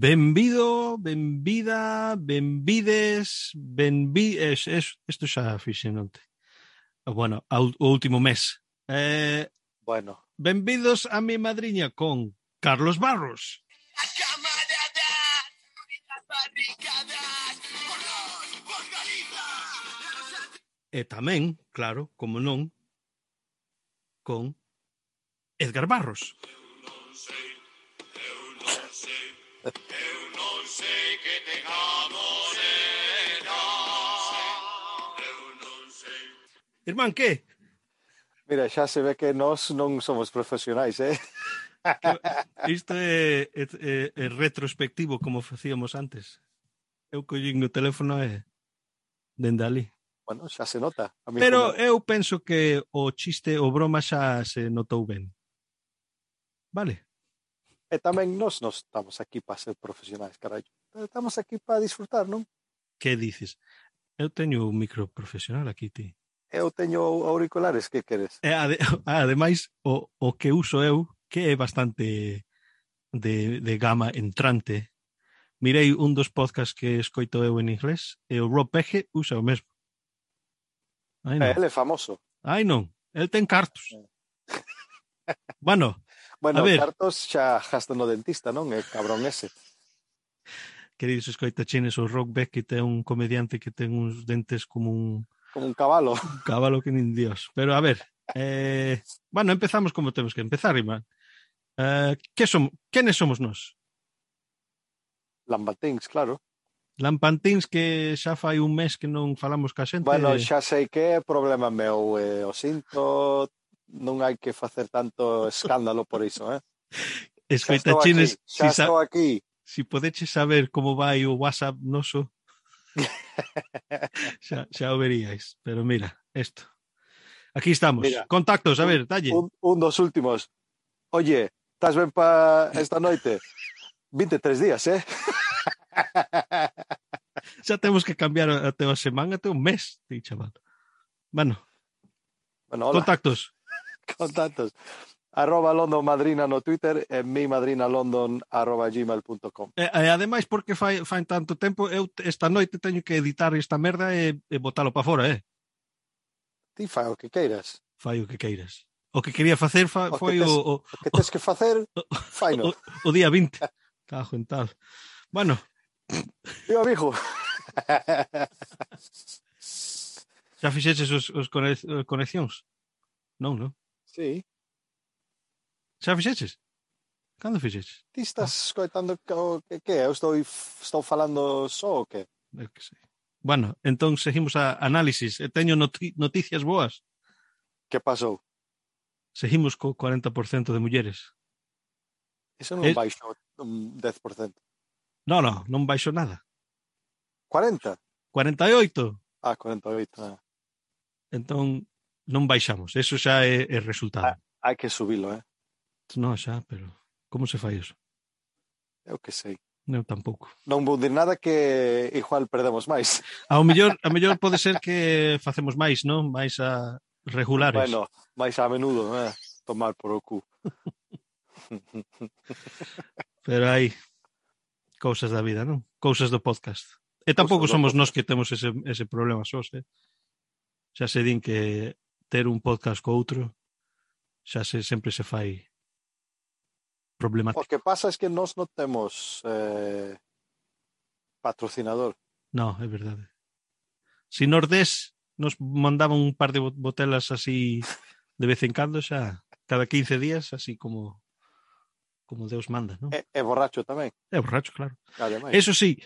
Benvido, benvida, benvides, isto xa fixen onte. Bueno, o último mes. Bueno. Benvidos a mi madriña con Carlos Barros. E tamén, claro, como non, con Edgar Barros. Irmán, que? Mira, xa se ve que nós non somos profesionais, Isto é retrospectivo como facíamos antes. Eu collín no teléfono e dende ali. Bueno, xa se nota. Pero eu penso que o chiste, o broma xa se notou ben. Vale? E tamén nós estamos aquí para ser profesionais, carallo. Estamos aquí para disfrutar, non? Que dices? Eu teño un micro profesional aquí, ti. Eu teño auriculares, que queres? Ademais, o que uso eu, que é bastante de gama entrante, mirei un dos podcasts que escoito eu en inglés e o Rob Pege usa o mesmo. Ai non. Ele é famoso. Ai non, el ten cartos. Bueno, a ver. Cartos xa gasta no dentista, non? É cabrón ese. Queridos escoitachines, o Rob Beckett é un comediante que ten uns dentes como un cabalo. Un cabalo que nin Dios. Pero a ver, bueno, empezamos como temos que empezar, Iván. Quenes somos nós? Lampantíns, claro. Lampantíns que xa fai un mes que non falamos ca xente. Bueno, xa sei que é problema meu, o sinto, non hai que facer tanto escándalo por iso, Escoitachines, xa estou aquí. Si podeches saber como vai o WhatsApp noso, xa o veríais. Pero mira, isto. Aquí estamos. Mira, contactos, a ver, dalle. Un dos últimos. Oye, estás ben para esta noite? 23 días, Xa temos que cambiar até a semana, até un mes, ti, chaval. Bueno hola. Contactos. @LondonMadrina no Twitter e mimadrinalondon@gmail.com. Ademais, porque fai tanto tempo, eu esta noite teño que editar esta merda e botalo para fora, Ti fai o que queiras. Fai o que queiras. O que quería facer foi o que tens que facer, faino. O día 20. Cajo en tal. Bueno. Viva, mijo. Xa fixeches os conexións? Non? Sí. Xa fixeches? Cando fixeches? Ti estás escoitando que eu estou falando só o que? Eu que sei. Bueno, entón seguimos a análisis. Teño noticias boas. Que pasou? Seguimos co 40% de mulleres. Iso non baixou un 10%. Non baixou nada. 40? 48. 48. Entón, non baixamos. Eso xa é resultado. Hai que subilo, Non, xa, pero como se fai iso? Eu que sei. Eu tampouco. Non vou dir nada que igual perdemos máis. Ao mellor pode ser que facemos máis, non? Mais a regulares. Bueno, máis a menudo, tomar por o cu. Pero hai cousas da vida, non? Cousas do podcast. E tampouco somos nós que temos ese problema sós, Xa se din que ter un podcast co outro sempre se fai problemático. O que pasa es que nós non temos patrocinador. Non, é verdade. Si Nordés nos mandaban un par de botelas así de vez en cando, xa cada 15 días, así como Deus manda, non? É borracho tamén. É borracho, claro. Ademais. Eso sí,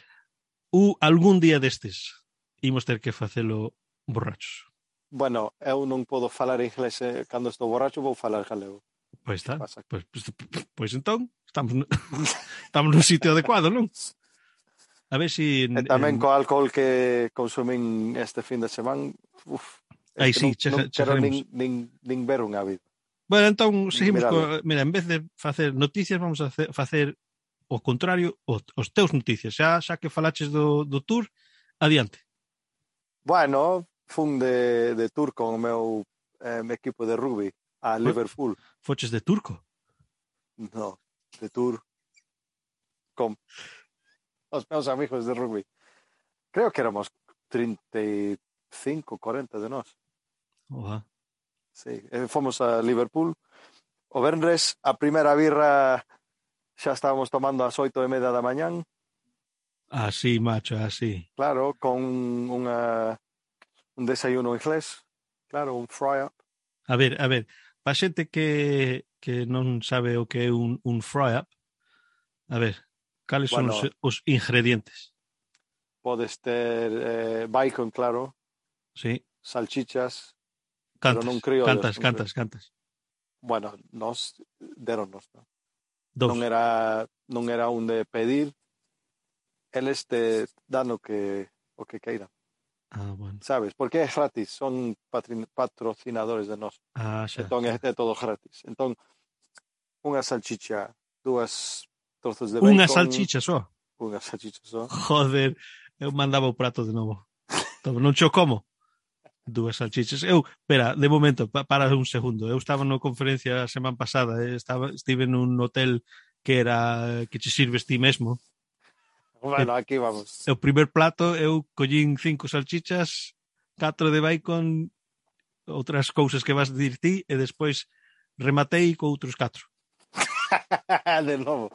algún día destes imos ter que facelo borrachos. Bueno, eu non podo falar inglés cando estou borracho, vou falar galego. Pois está. Pois entón, estamos no sitio adecuado, non? A ver si... E tamén co alcohol que consumín este fin de semana, aí sí, non quero nin ver unha vida. Bueno, entón, seguimos mira, en vez de facer noticias, vamos a facer o contrario, os teus noticias. Xa que falaches do tour, adiante. Bueno, fun de tour con o meu equipo de rugby a Liverpool. Foches de turco? No, de tour con os meus amigos de rugby. Creo que éramos 35, 40 de nós. Oa. Sí, fomos a Liverpool. O venres, a primeira birra xa estábamos tomando ás 8:30 da mañán. Así, macho, así. Claro, con un desayuno inglés. Claro, un fry-up. A ver, para xente que non sabe o que é un fry-up, a ver, cales son Bueno, os ingredientes? podes ter bacon, claro, Sí, salchichas, pero non criollos. Cantas. Bueno, nos deronnos, non? Dous. Non era un de pedir, eles te dan o que queiran, Ah, bueno. sabes? Porque é gratis, son patrocinadores de nós. Ah, xa. Entón é todo gratis. Entón, unha salchicha, 2 trozos de Unha bacon, salchicha só. unha salchicha só. Joder, eu mandaba o prato de novo. Non cho como. 2 salchichas. Espera, de momento, para un segundo. Eu estaba na conferencia a semana pasada, estive nun hotel que che sirves ti mesmo. Bueno, aquí vamos. O primer plato, eu collín 5 salchichas, 4 de bacon, outras cousas que vas dir ti, e despois rematei co outros 4. De novo.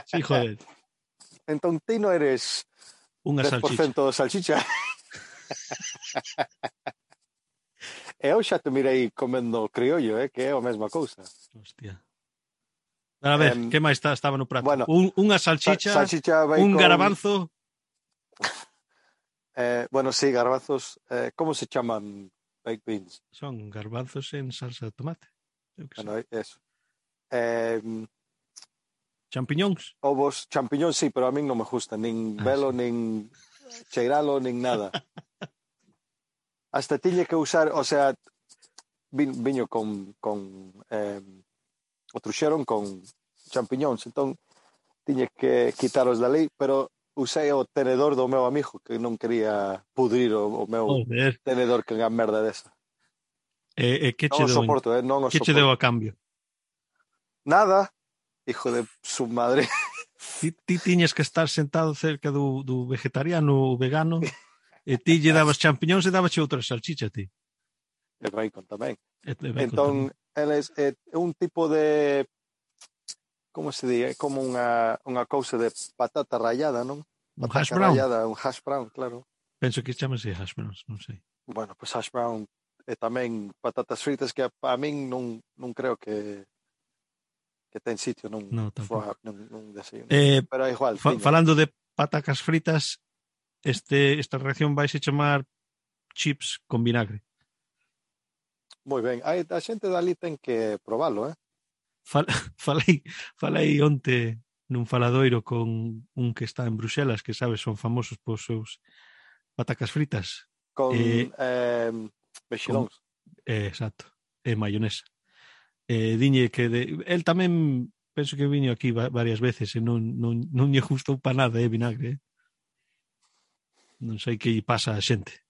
Sí, joder. Entón, ti non eres Unha 10% salchicha. salchicha. Eu xa te mirei comendo criollo, que é a mesma cousa. Hostia. A ver, que máis estaba no prato? Bueno, unha salchicha, salchicha, bacon, un garabanzo. Bueno, sí, garbanzos. ¿Cómo se llaman baked beans? Son garbanzos en salsa de tomate. Bueno, eso. Champiñóns. Ovos, champiñón, sí, pero a mí non me gusta. Nin velo, sí. nin cheiralo, nin nada. Hasta tiñe que usar, o sea, viño con o truxeron con champiñóns, entón tiñe que quitaros da lei, pero usei o tenedor do meu amigo que non quería pudrir o meu tenedor que unha merda desa. Que non o soporto, non o que soporto. che deu a cambio? Nada, hijo de su madre. Ti tiñes que estar sentado cerca do vegetariano ou vegano e ti lle dabas champiñóns e dabache outra salchicha ti. E bacon tamén. Entón, eles é un tipo de, como se di, é como unha cousa de patata rallada, non? Un hash Patata brown. rallada, un hash brown, claro. Penso que chamase hash browns, non sei. Bueno, pues hash brown e tamén patatas fritas que a min non creo que ten sitio nun desayuno. Pero igual. Falando de patacas fritas, esta reacción vai se chamar chips con vinagre. Moi ben. A xente dali ten que probalo, Falei onte nun faladoiro con un que está en Bruxelas, que sabes, son famosos pos seus patacas fritas. Con mexilóns. Exacto. E mayonesa. Diñe que el tamén penso que viño aquí varias veces e non lle gustou pa nada, vinagre. Non sei que lle pasa a xente.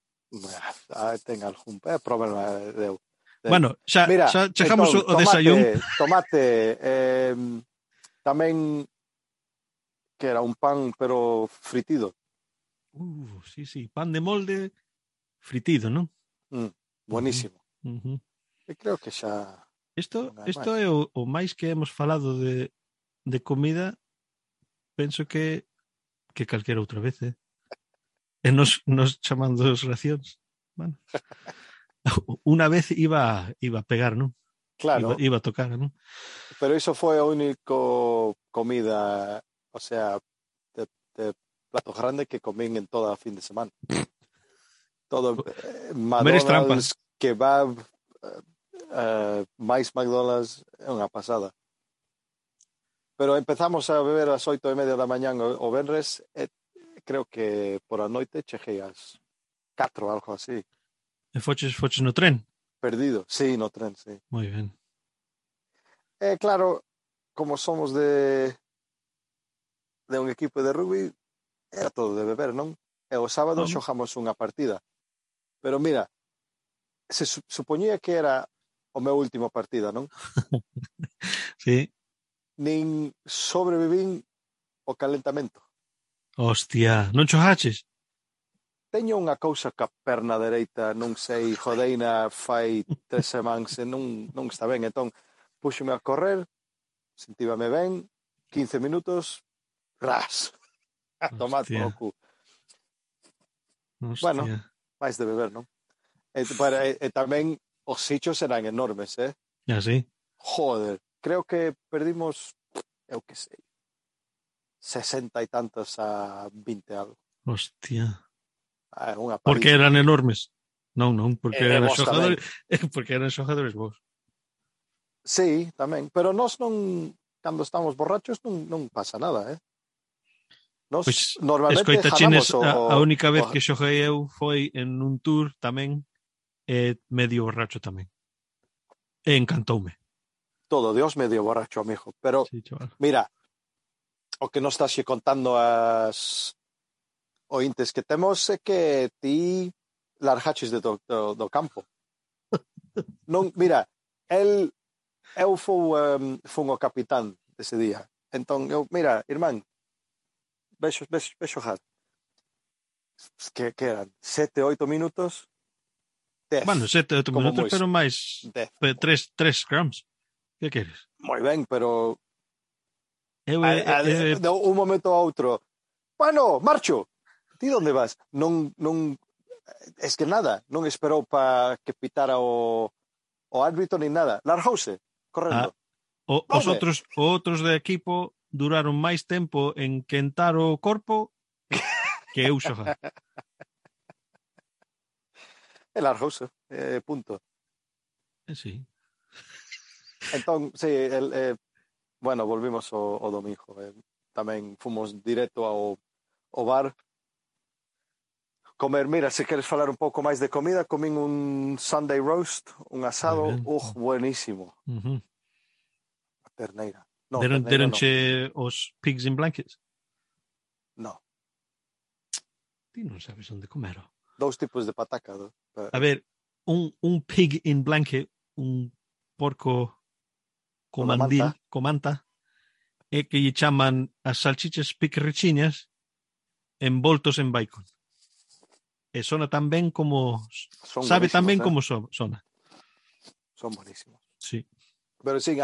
Ten algún problema deu. Bueno, xa chegamos entón, ao desayún. Tomate, tamén que era un pan pero fritido. Sí, pan de molde fritido, non? Buenísimo. E creo que xa... Isto é o máis que hemos falado de comida, penso que calquera outra vez, E nos chamando as racións. Bueno. Unha vez iba a pegar, non? Claro. Iba a tocar, non? Pero iso foi o único comida, o sea, de plato grande que comín en toda a fin de semana. Todo McDonald's, kebab, máis McDonald's, é unha pasada. Pero empezamos a beber ás 8:30 da mañán o venres, creo que por a noite cheguei ás 4, algo así. E foches no tren? Perdido, sí, no tren, sí. Moi ben. Claro, como somos de un equipo de rugby, era todo de beber, non? E o sábado xogamos unha partida. Pero mira, se supoñía que era o meu último partida, non? Sí. Nin sobrevivín o calentamento. Hostia, non chojaches? Teño unha cousa ca perna dereita, non sei, jodeina fai 3 semanas e non está ben. Entón, púxome a correr, sentívame ben, 15 minutos, gras, a tomar polo Hostia, cu. Bueno, hostia. máis de beber, non? E tamén os sichos eran enormes, eh? Ya sí. Joder, creo que perdimos, eu que sei, 60 e tantos a 20 algo. Hostia. Unha Porque paliza. eran enormes. Non, porque E eran vos tamén. xojadores, porque eran xojadores vos. Sí, tamén. Pero nós non, cando estamos borrachos, non pasa nada, eh? Nós Pois normalmente escoita jalamos chines, a única vez que xoguei eu foi en un tour tamén, medio borracho tamén. E encantoume. todo Dios medio borracho, amigo. Pero, Sí, chaval. mira, o que nos estás contando as ointes que temos é que ti largaches do campo. Non, mira, eu fun o capitán ese día. Entón, mira, irmán, vexo xogar. Que eran 7, 8 minutos, 10, Bueno, 7, 8 como minutos, moi, pero máis 10. 3 scrums. Que queres? Moi ben, pero Eu de un momento a outro, bueno, marcho. Ti onde vas? Non, es que nada, non esperou para que pitara o árbitro ni nada. Largouse, correndo. Vaume. os outros do equipo duraron máis tempo en quentar o corpo que eu xogar. E largouse, punto. Sí. Entón, sí, bueno, volvimos o domingo. Tamén fomos directo ao bar. Comer, mira, se queres falar un pouco máis de comida, comín un Sunday roast, un asado, buenísimo. Uh-huh. A terneira. No, terneira non. Deronche os pigs in blankets? No. Ti non sabes onde comer. 2 tipos de pataca. A ver, un pig in blanket, un porco co manta, é que lle chaman as salchichas piquerrichiñas envoltos en bacon. E sona tan ben como... sabe tan ben como sona. Son buenísimos. Sí. Pero sí,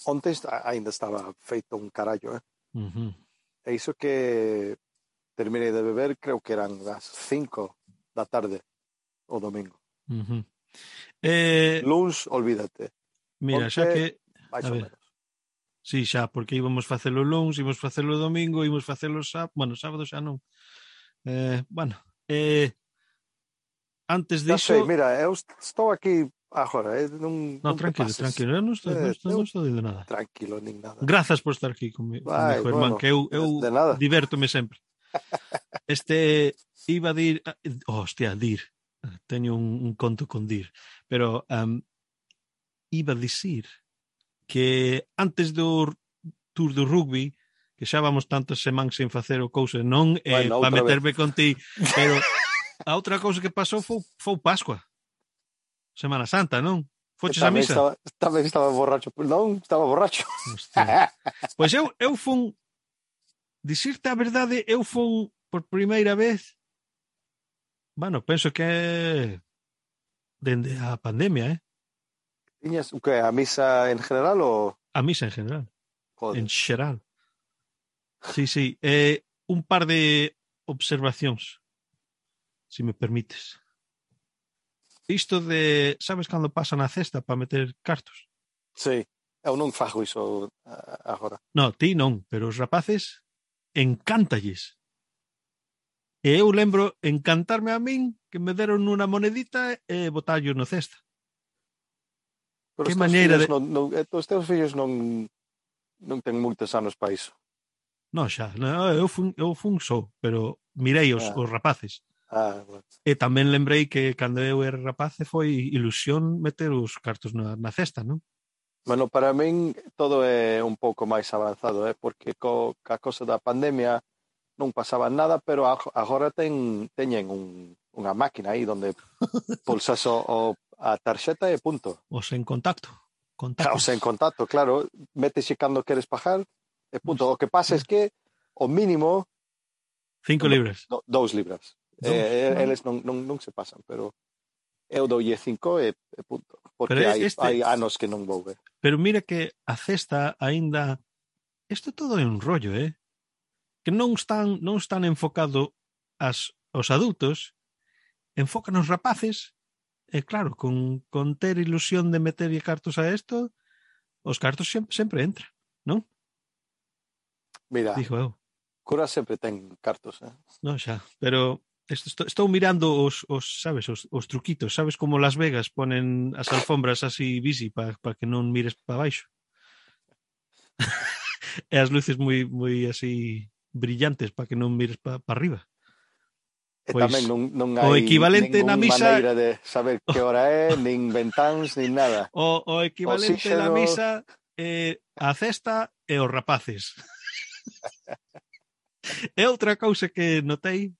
onte ainda estaba feito un carallo, eh? Uh-huh. E iso que terminei de beber, creo que eran as 5 da tarde o domingo. Uh-huh. Luns, olvídate. Mira, Onte, xa que... máis ou menos. Sí, xa, porque íbamos facelo luns, íbamos facelo domingo, íbamos facelo sábado... Bueno, sábado xa non. Bueno, antes diso... Sei, mira, eu estou aquí agora, non tranquilo, eu non estou dicindo nada. Tranquilo, nin nada. Grazas por estar aquí comigo, irmán, que eu divértome sempre. Iba a dir... hostia, dir. Teño un conto con dir. Pero iba a dicir que antes do tour do rugby, que xa vamos tantas semanas sen facer o cousa, non para meterme contigo, pero a outra cousa que pasou foi Pascua. Semana Santa, non? Foches a misa? Tamén estaba borracho. Non, estaba borracho. Pois eu fun, dicirte a verdade, eu fun por primeira vez, bueno, penso que dende a pandemia, Tiñas o que, a misa en general ou? A misa en general. Joder. En xeral. Sí. Un par de observacións, se me permites. Isto de, sabes cando pasan a cesta para meter cartos? Sí, eu non fago iso agora. No, ti non, pero os rapaces encántalles. E eu lembro encantarme a min que me deron unha monedita e botallo no cesta. Pero que maneira de... os teus fillos non ten moitos anos para iso. Non, xa, eu fun só, pero mirei os rapaces. Bueno. E tamén lembrei que cando eu era rapaz foi ilusión meter os cartos na cesta, non? Bueno, para min todo é un pouco máis avanzado, porque ca cosa da pandemia non pasaba nada, pero agora teñen unha máquina aí onde pulsas a tarxeta e punto. Os en contacto. Os en contacto, claro. Métese cando queres pagar e punto. O que pasa é que o mínimo 5 libras. 2 libras. Eles non se pasan, pero eu doulle 5 e punto. Porque hai anos que non vou ver. Pero mira que a cesta aínda... Isto todo é un rollo, que non están enfocado aos adultos, enfocan os rapaces, e claro, con ter ilusión de meterlle cartos a isto, os cartos sempre entran, non? Mira, dijo eu. Cura sempre ten cartos, Non xa, pero estou mirando os sabes, os truquitos, sabes como Las Vegas ponen as alfombras así busy para que non mires para baixo. E as luces moi así brillantes para que non mires para arriba. E pois, tamén non hai o equivalente na misa, maneira de saber que hora é, nin ventáns, nin nada. O equivalente na misa é a cesta e os rapaces. É outra cousa que notei,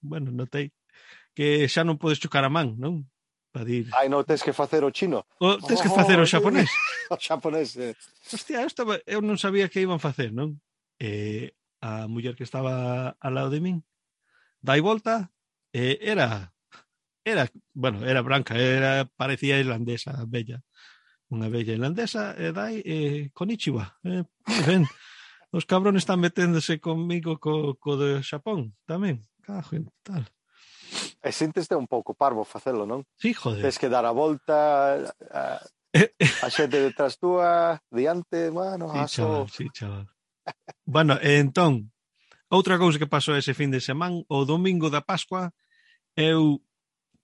que xa non podes chocar a man, non? Para dir... Ai, non, tens que facer o chino. Tens que facer o xaponés. O xaponés, Hostia, eu non sabía que iban facer, non? A muller que estaba ao lado de min dai volta, era branca, parecía irlandesa, bella. Unha bella irlandesa, e dai, konnichiwa. Ben, os cabrones están meténdose comigo co de Xapón, tamén. Cajo en tal. E sinteste un pouco parvo facelo, non? Sí, joder. Tens que dar a volta, a xente detrás túa, diante, bueno, sí, chaval. Bueno, entón, outra cousa que pasou ese fin de semana, o domingo da Pascua, eu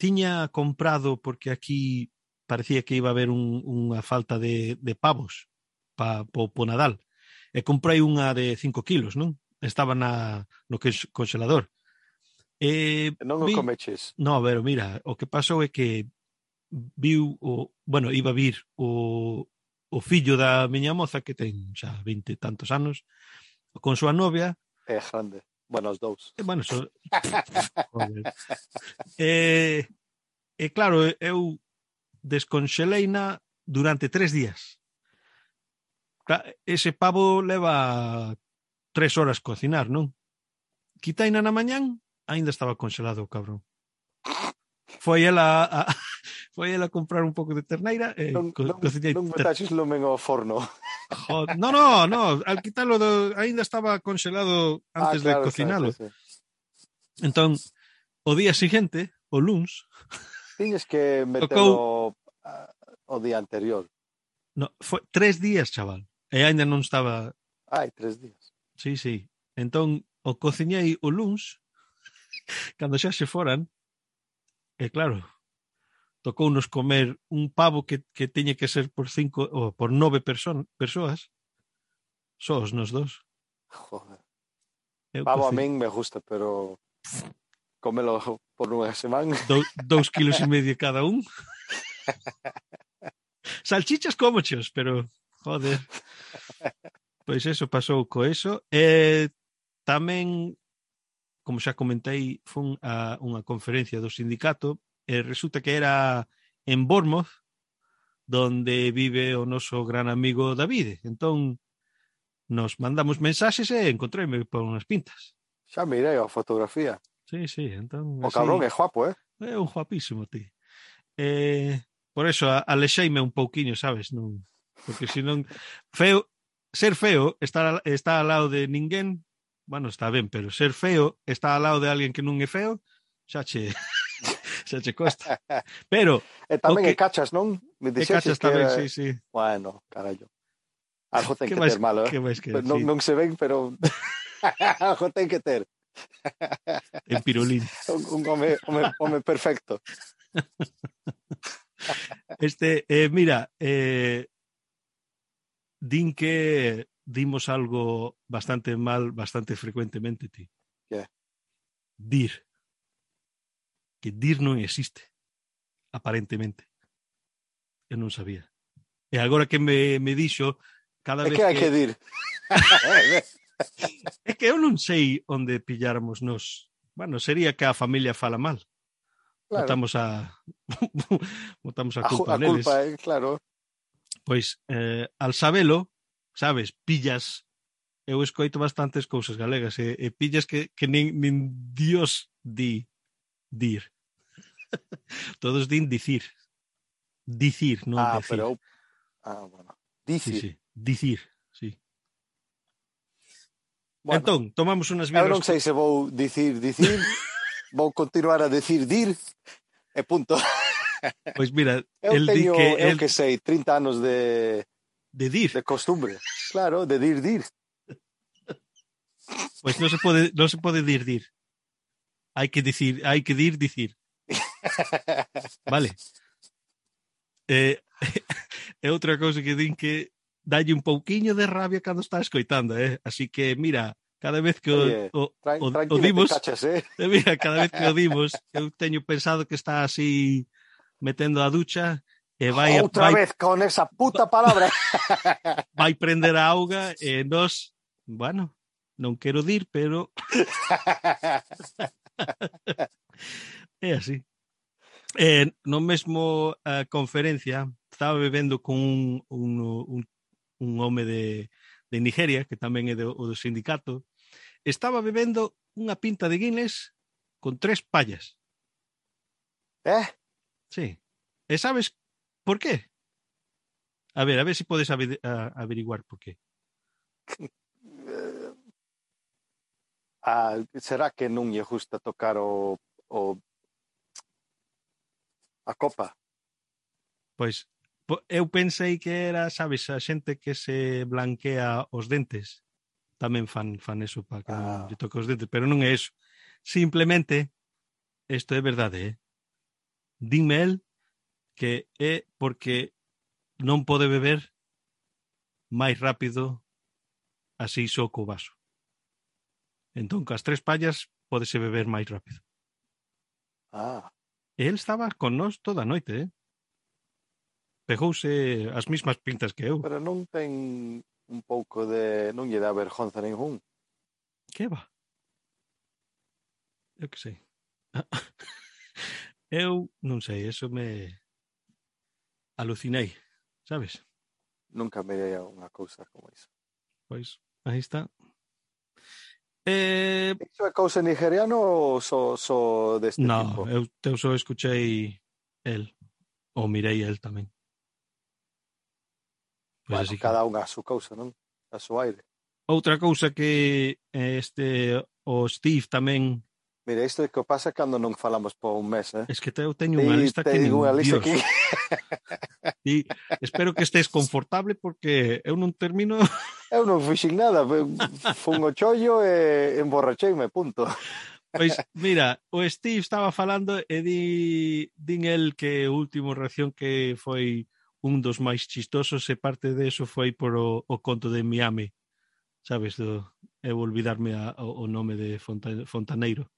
tiña comprado, porque aquí parecía que iba a haber unha falta de pavos po Nadal, e comprei unha de 5 kilos, non? Estaba no congelador. Non o comeches? No, pero mira, o que pasou é que iba a vir o fillo da miña moza, que ten xa 20 e tantos anos, con súa novia. É grande. Bueno, os dous. Bueno, joder. Claro, eu desconxeleina durante 3 días. Ese pavo leva 3 horas cocinar, non? Quitaina na mañán, aínda estaba congelado o cabrón. Foi ela a comprar un pouco de terneira e cocinei. Non metaxes lume ao forno. No, al quitarlo aínda estaba congelado antes de cocinalo. Sí. Entón, o día seguinte, o luns, tiñes que metelo o día anterior. No, foi 3 días, chaval. E aínda non estaba... 3 días. Sí. Entón, o cociñei o luns, cando xa se foran, e claro, tocounos comer un pavo que teña que ser por 5 ou por 9 persoas, só os nos dos. Joder. Pavo a min me gusta, pero cómelo por unha semana. 2,5 kilos cada un. Salchichas cómochos, pero joder. Pois eso pasou co eso. Tamén, como xa comentei, fun a unha conferencia do sindicato e resulta que era en Bournemouth, donde vive o noso gran amigo David. Entón, nos mandamos mensaxes e encontréme por unhas pintas. Xa mirei a fotografía. Sí, entón... O cabrón é guapo, É un guapísimo, ti. Por eso alexeime un pouquiño, sabes? Non, porque senón ser feo está ao lado de ninguén. Bueno, está ben, pero ser feo está ao lado de alguén que non é feo, xa che costa. Pero e tamén e cachas, non? Me cachas tamén, sí. Bueno, carallo. Algo ten que ter malo, non se ven, pero algo ten que ter. En pirulín. Un home perfecto. Mira, din que dimos algo bastante mal, bastante frecuentemente, ti. Que? Dir. Que dir non existe, aparentemente. Eu non sabía. E agora que me dixo, cada vez que... hai que dir? É que eu non sei onde pilláramos nos. Bueno, sería que a familia fala mal. Claro. Botamos a culpa neles. Claro. Pois, al sabelo, sabes, pillas eu escoito bastantes cousas galegas e pillas que nin Dios dir. Todos din dicir. Dicir, non decir. Pero bueno. Sí, Dicir. sí, dicir, sí. Bueno, Entón, tomamos unhas eu birras. non sei se vou dicir, vou continuar a decir dir, e punto. Pois mira, Eu el di teño, que eu que sei, 30 anos de dir. costumbre. Claro, de dir. Pois non se pode dir. Hai que dicir. Vale. É outra cousa que din que dalle un pouquiño de rabia cando está escoitando, Así que, mira, cada vez que Oye, o tranquila, dimos, te cachas, mira, cada vez que o dimos, eu teño pensado que está así metendo a ducha e Outra vez con esa puta palabra. vai prender a auga e nos, bueno, non quero dir, pero é así. No mesmo conferencia estaba bebendo con un home de Nigeria, que tamén é o do sindicato, estaba bebendo unha pinta de Guinness con 3 pallas. Sí. E sabes por qué? A ver se podes averiguar por qué. Será que non lle gusta tocar a copa? Pois eu pensei que era, sabes, a xente que se blanquea os dentes. Tamén fan eso para que non lle toque os dentes, pero non é eso. Simplemente, isto é verdade, Dime el que é porque non pode beber máis rápido así só co vaso. Entón, cas 3 pallas pódese beber máis rápido. E el estaba con nós toda a noite, Pegouse as mismas pintas que eu. Pero non ten un pouco de... non lle dá vergonza ningún. Que va? Eu que sei. Eu non sei, eso me alucinei, sabes? Nunca mirei a unha cousa como iso. Pois, aí está. Iso é cousa nigeriano ou só deste tipo? No, eu só escuchei el, ou mirei el tamén. Pois Bueno, así que... cada unha a súa cousa, non? A súa aire. Outra cousa que o Steve tamén... Mira, isto é que pasa cando non falamos por un mes, Es que eu teño unha lista te que digo nin unha lista Dios. que... E espero que estés confortable porque eu non termino... Eu non fixen nada, fun o chollo e emborracheime, punto. Pois, mira, o Steve estaba falando e din el que o último reacción que foi un dos máis chistosos e parte de eso foi por o conto de Miami. Sabes, eu olvidarme o nome de Fontaneiro.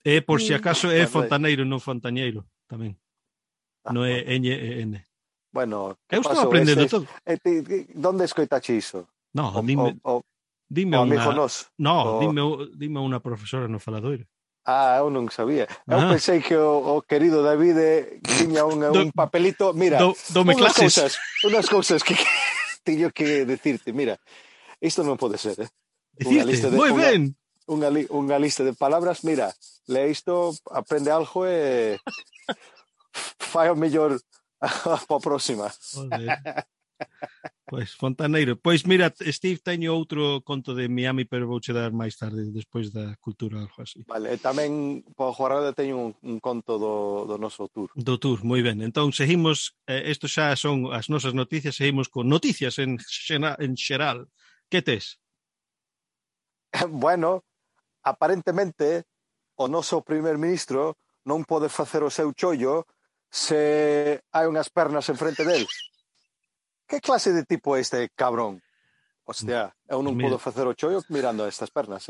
E por si acaso é Fontaneiro, non Fontañeiro, tamén. Non é N. Bueno, eu estou aprendendo todo. Donde escoitache iso? No, dime amigo unha... nos. No, dime unha profesora no faladoiro. Eu non sabía. Eu pensei que o querido David tiña un papelito. Mira, unhas cousas que teño que decirte. Mira, isto non pode ser, Decirte, moi ben. Unha lista de palabras. Mira, lee isto, aprende algo e fai o mellor para a próxima. Joder. Pois, Fontaneiro. Pois mira, Steve, teño outro conto de Miami, pero vouche dar máis tarde, despois da cultura, algo así. Vale, tamén para o Jornada teño un conto do noso tour. Do tour, moi ben. Entón, seguimos, isto xa son as nosas noticias, seguimos con noticias en xeral. Que tes? Bueno, aparentemente, o noso primer ministro non pode facer o seu chollo se hai unhas pernas enfrente del. Que clase de tipo é este cabrón? Hostia, eu non podo facer o chollo mirando a estas pernas,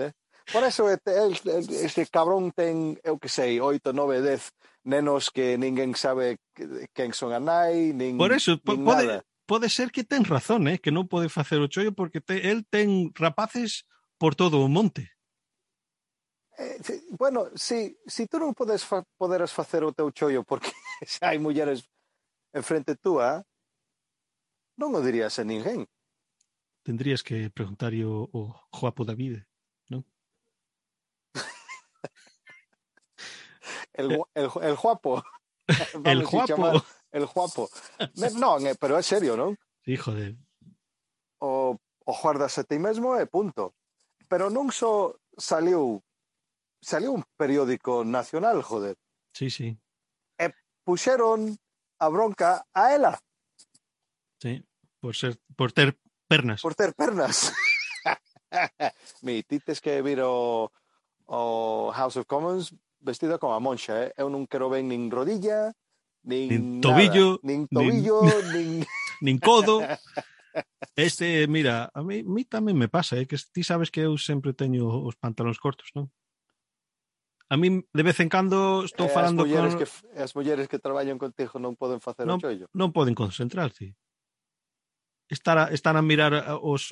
Por eso este cabrón ten, eu que sei, 8, 9, 10 nenos que ninguén sabe quen son a nai, nin Por eso, nada. Pode ser que ten razón, que non pode facer o chollo porque el ten rapaces por todo o monte. Bueno, si tú non poderas facer o teu chollo porque xa hai mulleres enfrente túa, non o dirías a ninguén. tendrías que preguntarlle o Joapo David, non? El guapo. El Vamos a chamar Joapo. el guapo. Non, pero é serio, non? Sí, joder. O guardas a ti mesmo e punto. Pero non só saliu un periódico nacional, joder. Sí, sí. E puxeron a bronca a ela. Sí, por ter pernas. Por ter pernas. Ti tes que vir o House of Commons vestida como a monxa, Eu non quero ver nin rodilla, Nin nin tobillo, nada. Nin tobillo, nin... nin codo. Mira, a mí tamén me pasa, que ti sabes que eu sempre teño os pantalóns cortos, non? A mí de vez en cando estou falando con... As mulleres que traballan contigo non poden facer o chollo. Non poden concentrarse. Estar a mirar os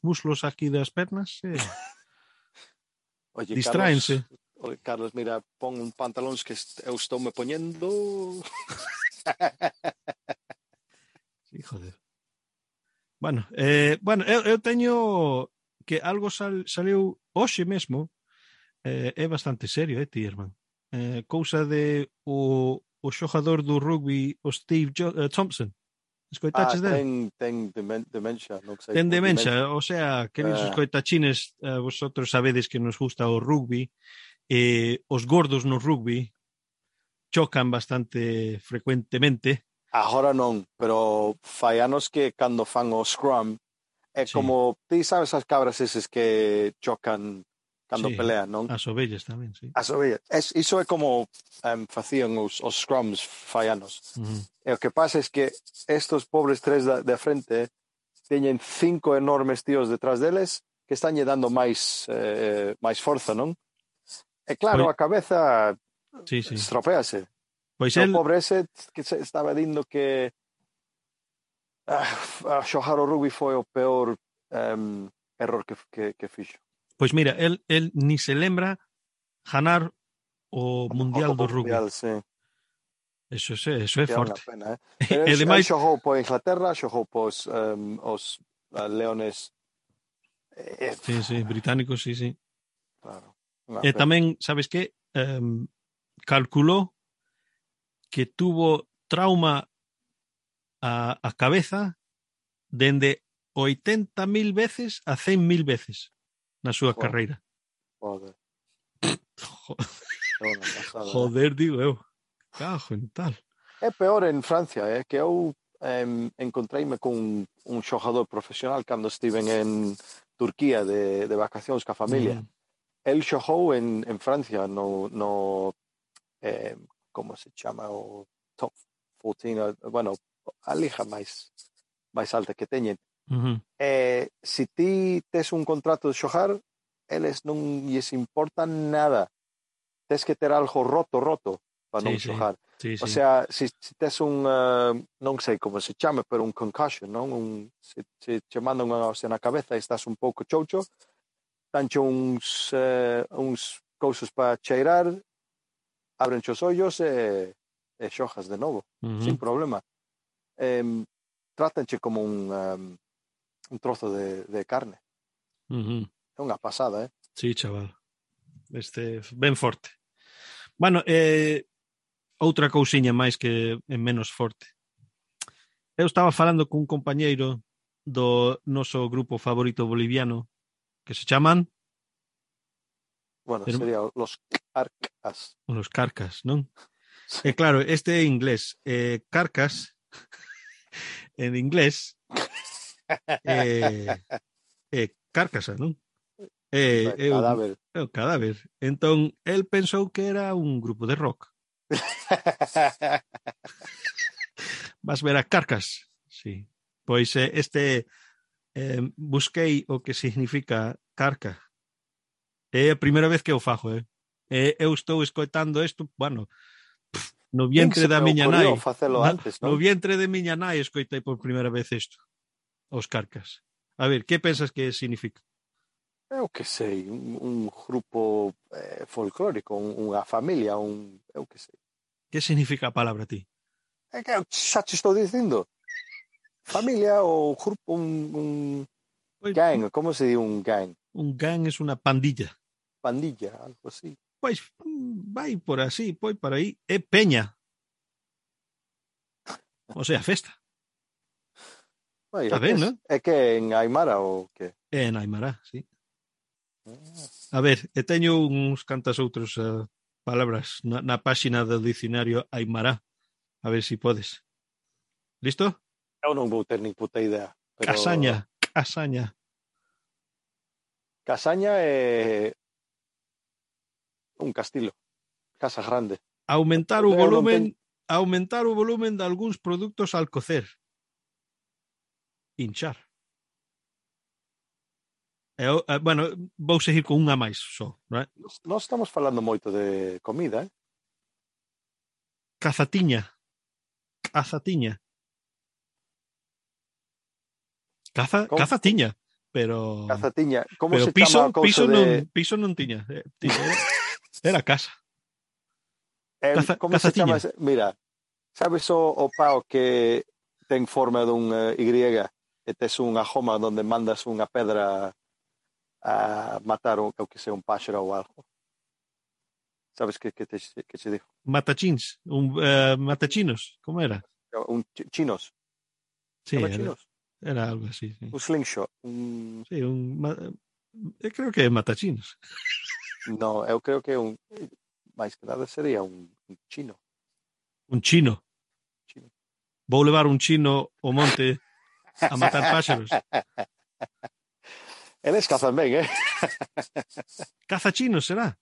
muslos aquí das pernas, Oye, distráense. Carlos, mira, pon un pantalóns que eu estou me poñendo. Sí, joder. Bueno, eu teño que algo saliu hoxe mesmo, é bastante serio, ti, irmán. Cousa de o xogador do rugby, o Steve Thompson. Escoitaches dele? Ten demencia, non sei. Ten demencia, o sea, queridos escoitachines, vosotros sabedes que nos gusta o rugby, os gordos no rugby chocan bastante frecuentemente. Agora non, pero fai anos que cando fan o scrum é como, ti sabes as cabras eses que chocan cando pelean, non? As ovellas tamén, sí. As ovellas. Iso é como facían os scrums fai anos. E o que pasa é que estos pobres tres de frente teñen 5 enormes tíos detrás deles que están lle dando máis forza, non? E claro, a cabeza estropéase. Pois o pobre ese que estaba dindo que a xogar o rugby foi o peor error que fixo. Pois mira, el ni se lembra ganar o Mundial do Rugby. Sí. Eso é forte. Pena, Pero el xogou por Inglaterra, xogou pos os Leones. Sí, británicos, sí. Claro. E tamén, sabes que? Calculou que tuvo trauma a cabeza dende 80.000 veces a 100.000 veces na súa carreira. Joder. Joder, digo eu. Cajo en tal. É peor en Francia, que eu encontreime con un xogador profesional cando estiven en Turquía de vacacións ca familia. El xogou en Francia no como se chama o top 14, bueno, a liga máis alta que teñen. Se ti tes un contrato de xogar, eles non lles importa nada. Tes que ter algo roto para non xogar. O sea, se tes un non sei como se chama, pero un concussion, non? Se che mandan unha hostia na cabeza e estás un pouco choucho, danche uns cousas para cheirar, abren os ollos e xojas de novo, sin problema. Trátanche como un trozo de carne. É unha pasada, Sí, chaval. Ben forte. Bueno, outra cousiña máis que é menos forte. Eu estaba falando cun compañeiro do noso grupo favorito boliviano que se chaman... Bueno, sería los Carcas. Os Carcas, non? Sí. E claro, este é inglés. Carcas, en inglés, carcasa, non? Cadáver. É o cadáver. Entón, el pensou que era un grupo de rock. Vas ver a Carcas? Sí. Pois busquei o que significa carca. É a primeira vez que eu fago, eu estou escoitando isto, bueno, no vientre da miña nai. No vientre de miña nai escoitei por primeira vez isto. Os Carcas. A ver, que pensas que significa? Eu que sei, un grupo folclórico, unha familia, eu que sei. Que significa a palabra ti? É que xa te estou dicindo. familia ou grupo, un Pois, gang, como se di un gang? un gang es unha pandilla. Pandilla, algo así. Pois vai por así, pois por aí. É peña. O sea, festa. Ai, Está ben, non? é que en Aymara ou que? É en Aymara, sí. A ver, e teño uns cantas outros palabras na páxina do dicionario Aymara. A ver se podes. Listo? Eu non vou ter nin puta idea, pero Casaña, casaña. Casaña é un castilo, casa grande. Aumentar o Eu non volumen, teño... aumentar o volumen de algúns produtos al cocer. Hinchar. Bueno, vou seguir con unha máis só, non é? Nós estamos falando moito de comida, eh? Cazatiña. Cazatiña. Com, Caza com, tiña, Cazatiña. Como pero se chama a cousa de... piso non tiña, era casa. como se chama? Cazaciña. Mira, sabes o pao que ten forma dun Y e tes unha joma onde mandas unha pedra a matar o que sea un páxaro ou algo? Sabes que te digo? Matachins, matachinos, como era? Chinos. Sí, Chama chinos? era algo así, sí. Un slingshot. Un... Sí, creo que é matachinos. No, eu creo que é un... máis que nada sería un chino. Un chino. Chino. Vou levar un chino ao monte a matar páxaros. Eles cazan ben, eh? Caza chinos, será?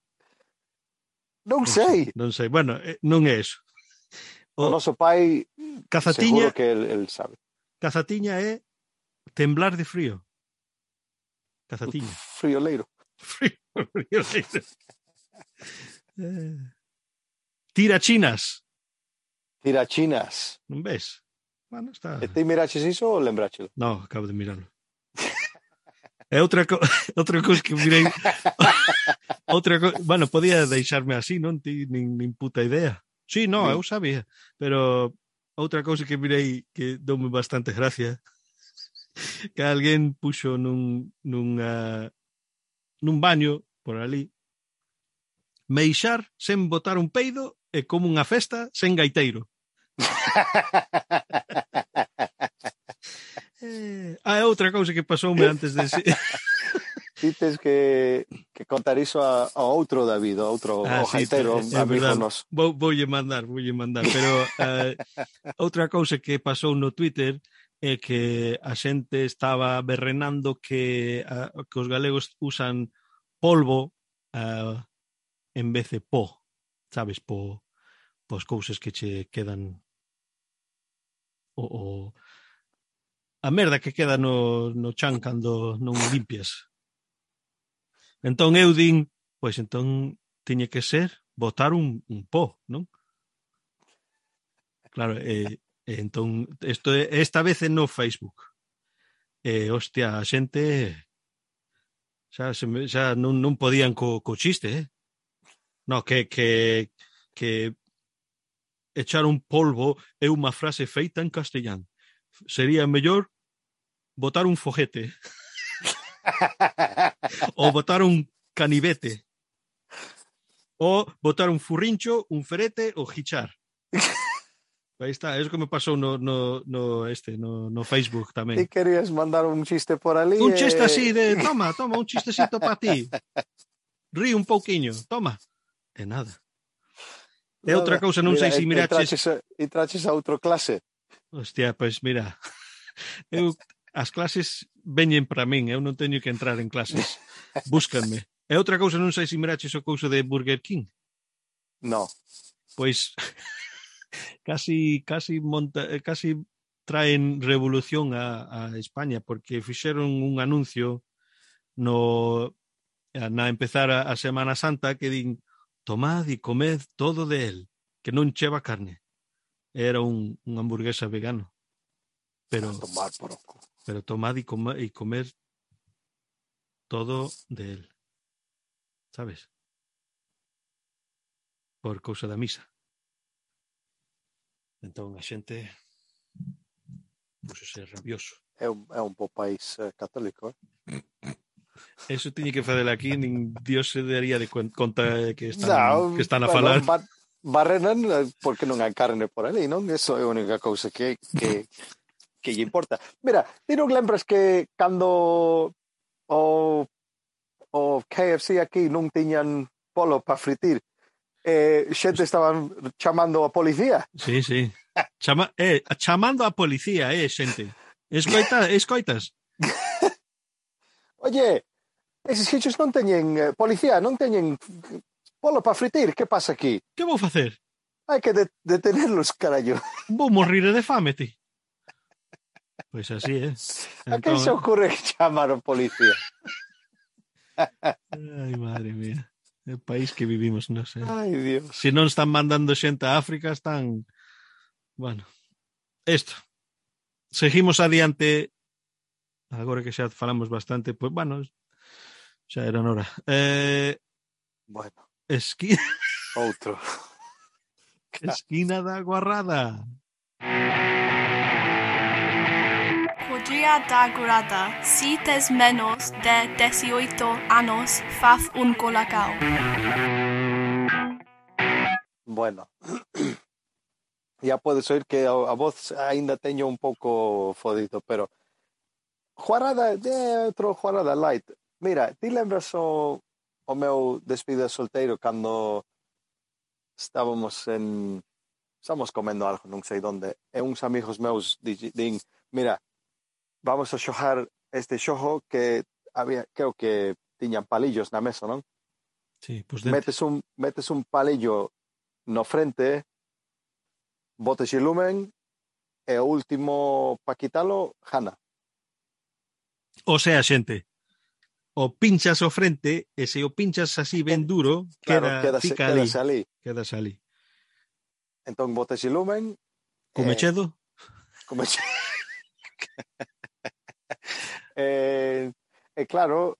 Non sei. Non sei. Bueno, non é eso. O noso pai Cazatiña, seguro que el sabe. cazatiña é temblar de frío. Cazatiña. Frioleiro. Frío. Tirachinas. Tirachinas. Non ves? Bueno, está... E ti miraches iso ou lembrachelo? No, acabo de mirarlo. É outra cousa que mirei. Bueno, podía deixarme así, non? Ti nin puta idea. Sí, no, eu sabía. Pero outra cousa que mirei que doume bastante gracia que alguén puxo nun baño por ali meixar sen botar un peido e como unha festa sen gaiteiro. Outra cousa que pasoume antes de... Dites que contar iso a outro David, a outro gaiteiro, sí, amigo noso. Voulle mandar, pero outra cousa que pasou no Twitter é que a xente estaba berrenando que os galegos usan polvo en vez de po, sabes, pos cousas que che quedan a merda que queda no chan cando non limpias. Entón eu din, pois entón tiña que ser botar un po, non? Claro, entón esta vez é no Facebook. Hostia, a xente xa non podían co chiste, eh? No, que echar un polvo é unha frase feita en castellán. Sería mellor botar un foguete ou botar un canivete ou botar un furrincho, un ferete ou hichar. Aí está, é o que me pasou no Facebook tamén. Ti querías mandar un chiste por ali un chiste así de, toma, un chistecito para ti. Rí un pouquiño, toma. E nada. E outra cousa, non sei se miraches... Entraches a outro clase. Hostia, pois mira, as clases veñen para min, eu non teño que entrar en clases. Búscanme. E outra cousa, non sei se miraches o couso de Burger King. No. Pois casi traen revolución a España porque fixeron un anuncio na empezar a Semana Santa que din tomad e comed todo de él, que non cheva carne. Era un hamburguesa vegano. Pero tomad e comer todo de él. Sabes? Por cousa da misa. Entón a xente Pois é rabioso. É un bo país católico, Eso tiñe que fazer aquí, nin Dios se daría de conta que Non, están a bueno, falar. barrenan porque non hai carne por ali, non? Eso é a única cousa que lle importa. Mira, ti non lembras que cando o KFC aquí non tiñan polo para fritir, xente estaban chamando a policía? Sí, sí. Chamando a policía, xente. Escoitas? Oye, eses sitios non teñen policía, non teñen polo para fritir, que pasa aquí? Que vou facer? Hai que detenerlos, carallo. Vou morrir de fame, ti. Pois así, A quen se ocurre chamar a policía? Ai, madre mía. O país que vivimos, non sei. Ai, Dios. Se non están mandando xente a África, están... Bueno, isto. Seguimos adiante. Agora que xa falamos bastante, pois, bueno, xa era hora. Bueno, outro. Esquina da Guarrada. O dia da Guarrada, si tes menos de 18 anos, faz un colacao. Bueno, ya podes oír que a voz ainda teño un pouco fodido, pero Guarrada, outro Guarrada light. Mira, ti lembras o meu despide solteiro cando estábamos comendo algo, non sei onde, e uns amigos meus din, mira, vamos a xogar este xogo que había, creo que tiñan palillos na mesa, non? Sí, pues metes un palillo no frente, botes e lumen, e o último pa quitalo, jana. O sea, xente, o pinchas o frente e se o pinchas así ben duro, claro, quedas ali. Quedas ali. Entón botes e lumen. Come chedo? Come chedo. E claro,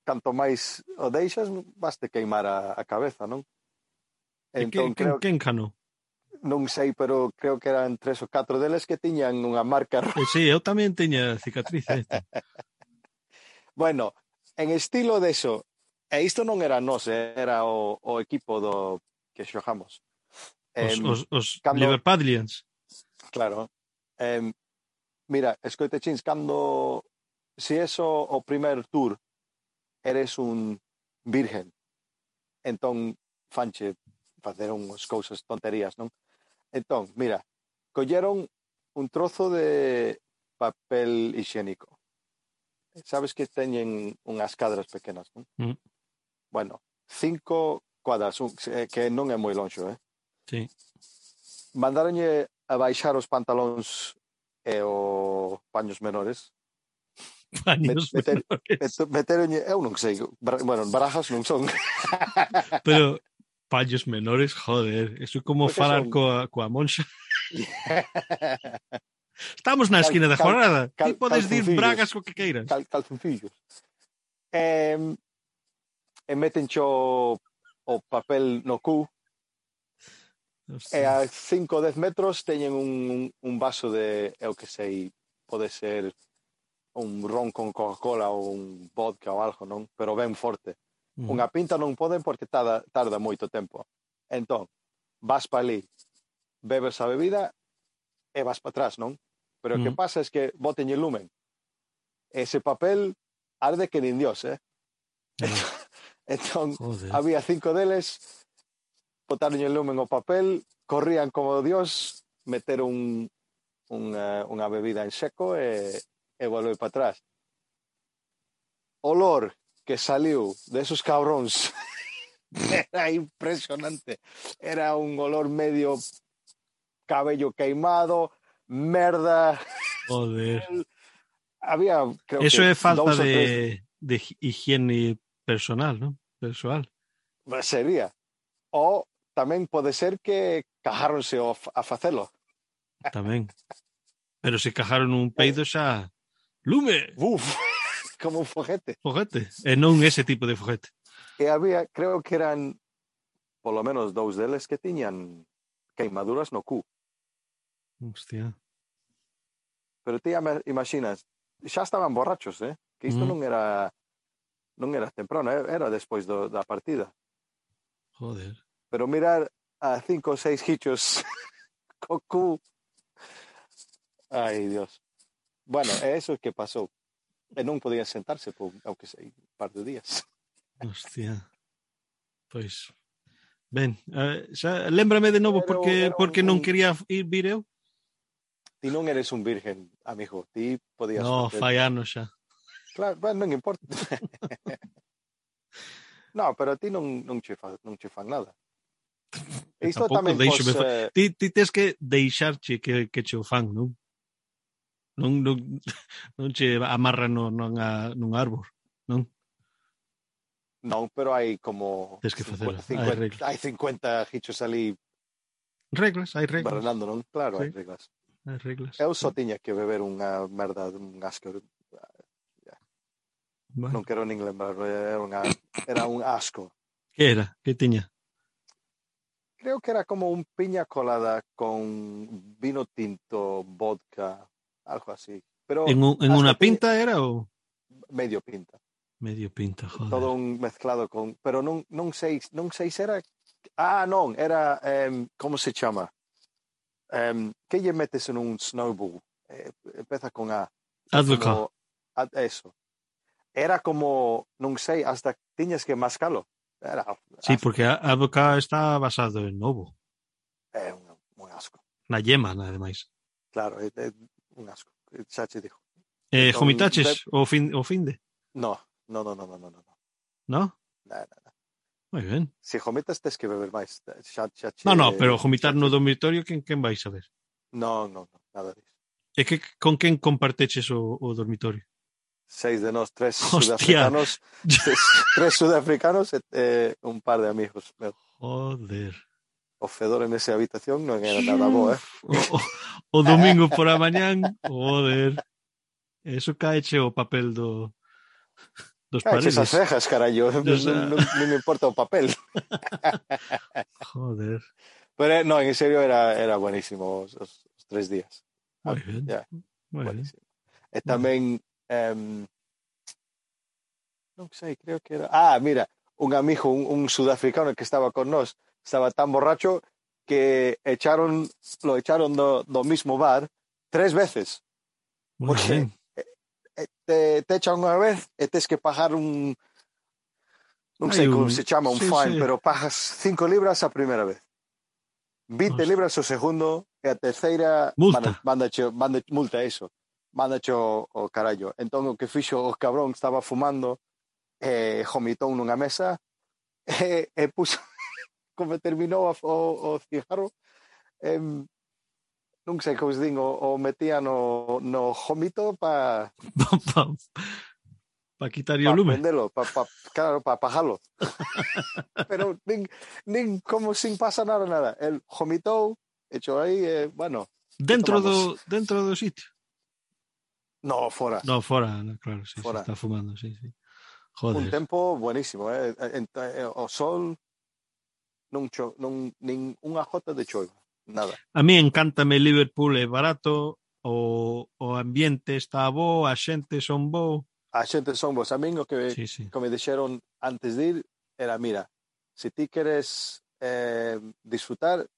canto máis o deixas, vaste queimar a cabeza, non? Entón, quen ganou? Non sei, pero creo que eran 3 ou 4 deles que tiñan unha marca roja. Sí, eu tamén teña cicatriz. Bueno, en estilo de eso, e isto non era nós, era o equipo do que xogamos. Os Liverpudlians. Claro. Mira, escoite chins, cando se eso o primer tour eres un virgen, entón fanche facer unhas cousas tonterías, non? Entón, mira, colleron un trozo de papel higiénico. Sabes que teñen unhas cadras pequenas, non? Bueno, 5 cuadras, que non é moi lonxo, Sí. Mandaronlle a baixar os pantalóns e os paños menores. Meteronlle, eu non sei, bueno, barajas non son. Pero paños menores, joder, eso é como porque falar coa monxa. Estamos na esquina da Guarrada. Ti podes dir bragas co que queiras. Calzoncillos. E metencho o papel no cu. E a 5 ou 10 metros teñen un vaso de, eu que sei, pode ser un ron con Coca-Cola ou un vodka ou algo, non? Pero ben forte. Unha pinta non poden porque tarda moito tempo. Entón, vas pa ali, bebes a bebida e vas pa atrás, non? Pero o que pasa é que boten el lumen. Ese papel arde que nin Dios, Entón, había 5 deles, botaron el lumen ao papel, corrían como Dios, meteron unha bebida en seco e volveu para atrás. Olor que saliu desos cabróns era impresionante. Era un olor medio cabello queimado, merda. Joder. Había, creo eso que é falta de higiene personal, ¿no? Persoal. Sería. O tamén pode ser que cajáronse a facelo. Tamén. Pero se cajaron un peido xa... Lume! Uf, como un foguete. Foguete. E non ese tipo de foguete. E había, creo que eran polo menos 2 deles que tiñan queimaduras no cu. Hostia. pero ti imaginas, xa estaban borrachos, que isto non era temprano, era despois da partida. Joder. Pero mirar a 5 ou 6 hichos co cu. Ai, Dios. Bueno, é eso que pasou. E non podían sentarse por, aunque sei, un par de días. Hostia. Pois, ben, xa, lémbrame de novo porque non quería vir eu. Ti non eres un virgen, amigo. Ti podías No, facer... fai anos xa. Claro, bueno, non importa. No, pero a ti non che fan nada. E isto Tampouco tamén deixo pos... ti tes que deixarche que che o fan, non? Non che amarran nun árbol, non? Non, pero hai como... Tes que facelo, hai 50, reglas. hai 50 hichos ali Hai reglas. barrenando, non? Claro, Sí. hai reglas. Hai reglas. Eu só tiña que beber unha merda, un asco. Bueno. Non quero nin lembrar, era un asco. Que era? Que tiña? Creo que era como un piña colada con vino tinto, vodka, algo así. Pero En unha pinta era ou? medio pinta. Medio pinta, joder. Todo un mezclado con... Pero non sei se era... non, era... como se chama? Que lle metes en un snowball? Empeza con A. Advoca. Eso. Era como, non sei, hasta tiñas que mascalo. Era, Sí, porque a advoca está basado en ovo. É un asco. Na yema, nada máis. Claro, é un asco. Xa che digo. Jomitaches o finde? No. No? No. Moi ben. Se jomitas tes que beber máis. No, pero jomitar no dormitorio, quen vais a ver? No, nada disso. E que con quen comparteches o dormitorio? 6 de nós, 3 Hostia. sudafricanos, 3 sudafricanos e un par de amigos meus. Joder. O fedor en esa habitación non era nada bo, O domingo por a mañán, joder. Eso caeche o papel dos paredes. Esas cejas, carallo. Non me importa o papel. Joder. Pero no, en serio era buenísimo os 3 días. Moi ben. Yeah, Moi ben. buenísimo. E tamén non sei, creo que era... mira, un amigo, un sudafricano que estaba con nós, estaba tan borracho que lo echaron do mismo bar 3 veces. Moi ben. Te echan unha vez e tes que pagar non sei como se chama, un fine, sí. pero pagas 5 libras a primeira vez. 20 libras o segundo e a terceira multa. Mándache multa, eso. Mándache o carallo. Entón o que fixo o cabrón estaba fumando e vomitou nunha mesa e puso como terminou o cigarro non sei como se din, o metía no vómito para quitar o lume. Prendelo, claro, para apagalo. Pero nin como sin pasa nada. El vomitou, echou aí, bueno. Dentro do sitio? No, fora. No, fora, claro, sí, fora. Se está fumando, sí. Joder. Un tempo buenísimo, o sol nin unha jota de choiva, nada. A mí encántame Liverpool, é barato, o ambiente está bo, a xente son bo. A xente son vos. A min o que me dixeron antes de ir era, mira, se ti queres disfrutar,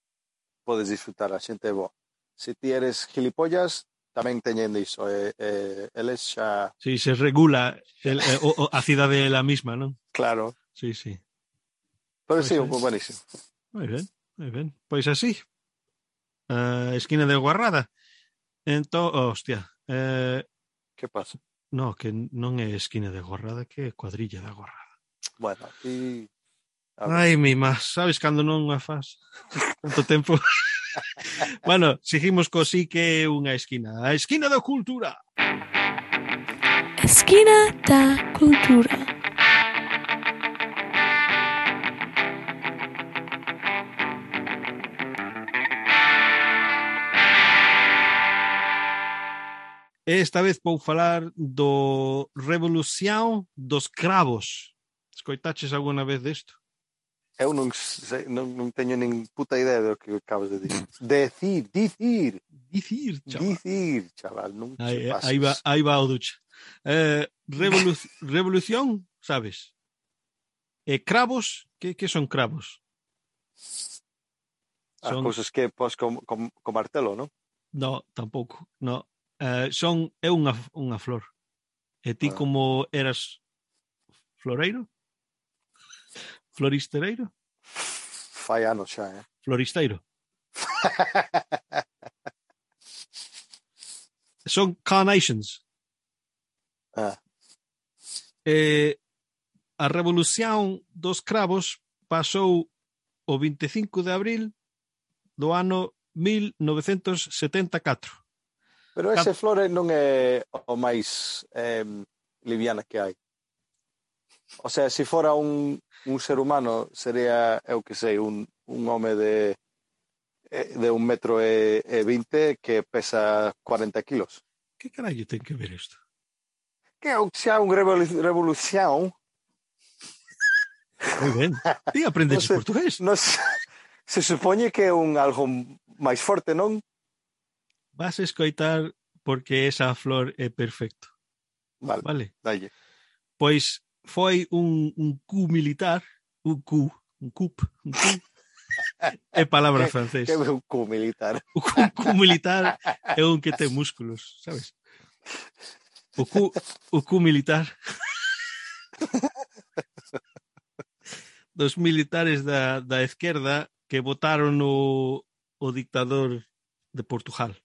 podes disfrutar, a xente é bo. Se ti eres gilipollas, tamén teñen iso. Eles xa... Sí, se regula a cidade é a misma, non? Claro. Sí. Pero sí, buenísimo. Moi ben. Pois así. Esquina de Guarrada. Entón, hostia. Que pasa? No, que non é esquina de Guarrada, que é cuadrilla da Guarrada. Bueno, aquí... Ai, mima, sabes cando non a faz? Tanto tempo. Bueno, seguimos co sí que é unha esquina. A esquina da cultura. Esquina da cultura. Esta vez vou falar do Revolución dos Cravos. Escoitaches alguna vez desto? Eu non teño nin puta idea do que acabas de dicir. Dicir. Dicir, chaval. Dicir, chaval, non se pases. Aí va o ducha. Revolución, sabes? Cravos, que son cravos? As cousas que pos con martelo, non? No, tampouco. No. É unha flor. E ti como eras floreiro? Floristereiro? Fai anos xa, Floristeiro. Son carnations. A revolución dos cravos pasou o 25 de abril do ano 1974. Pero ese flore non é o máis liviana que hai. O sea, se fora un ser humano, sería, eu que sei, un home de 1,20 m que pesa 40 kilos. Que carallo ten que ver isto? Que xa unha revolución. Moi ben. Ti aprendes portugués. Se supoñe que é algo máis forte, non? Vas a escoitar porque esa flor é perfecto. Vale. Dalle. Pois foi un coup militar, un coup. É palabra francés. Que é un coup militar? Un coup militar é un que ten músculos, sabes? O coup militar dos militares da esquerda que votaron o dictador de Portugal.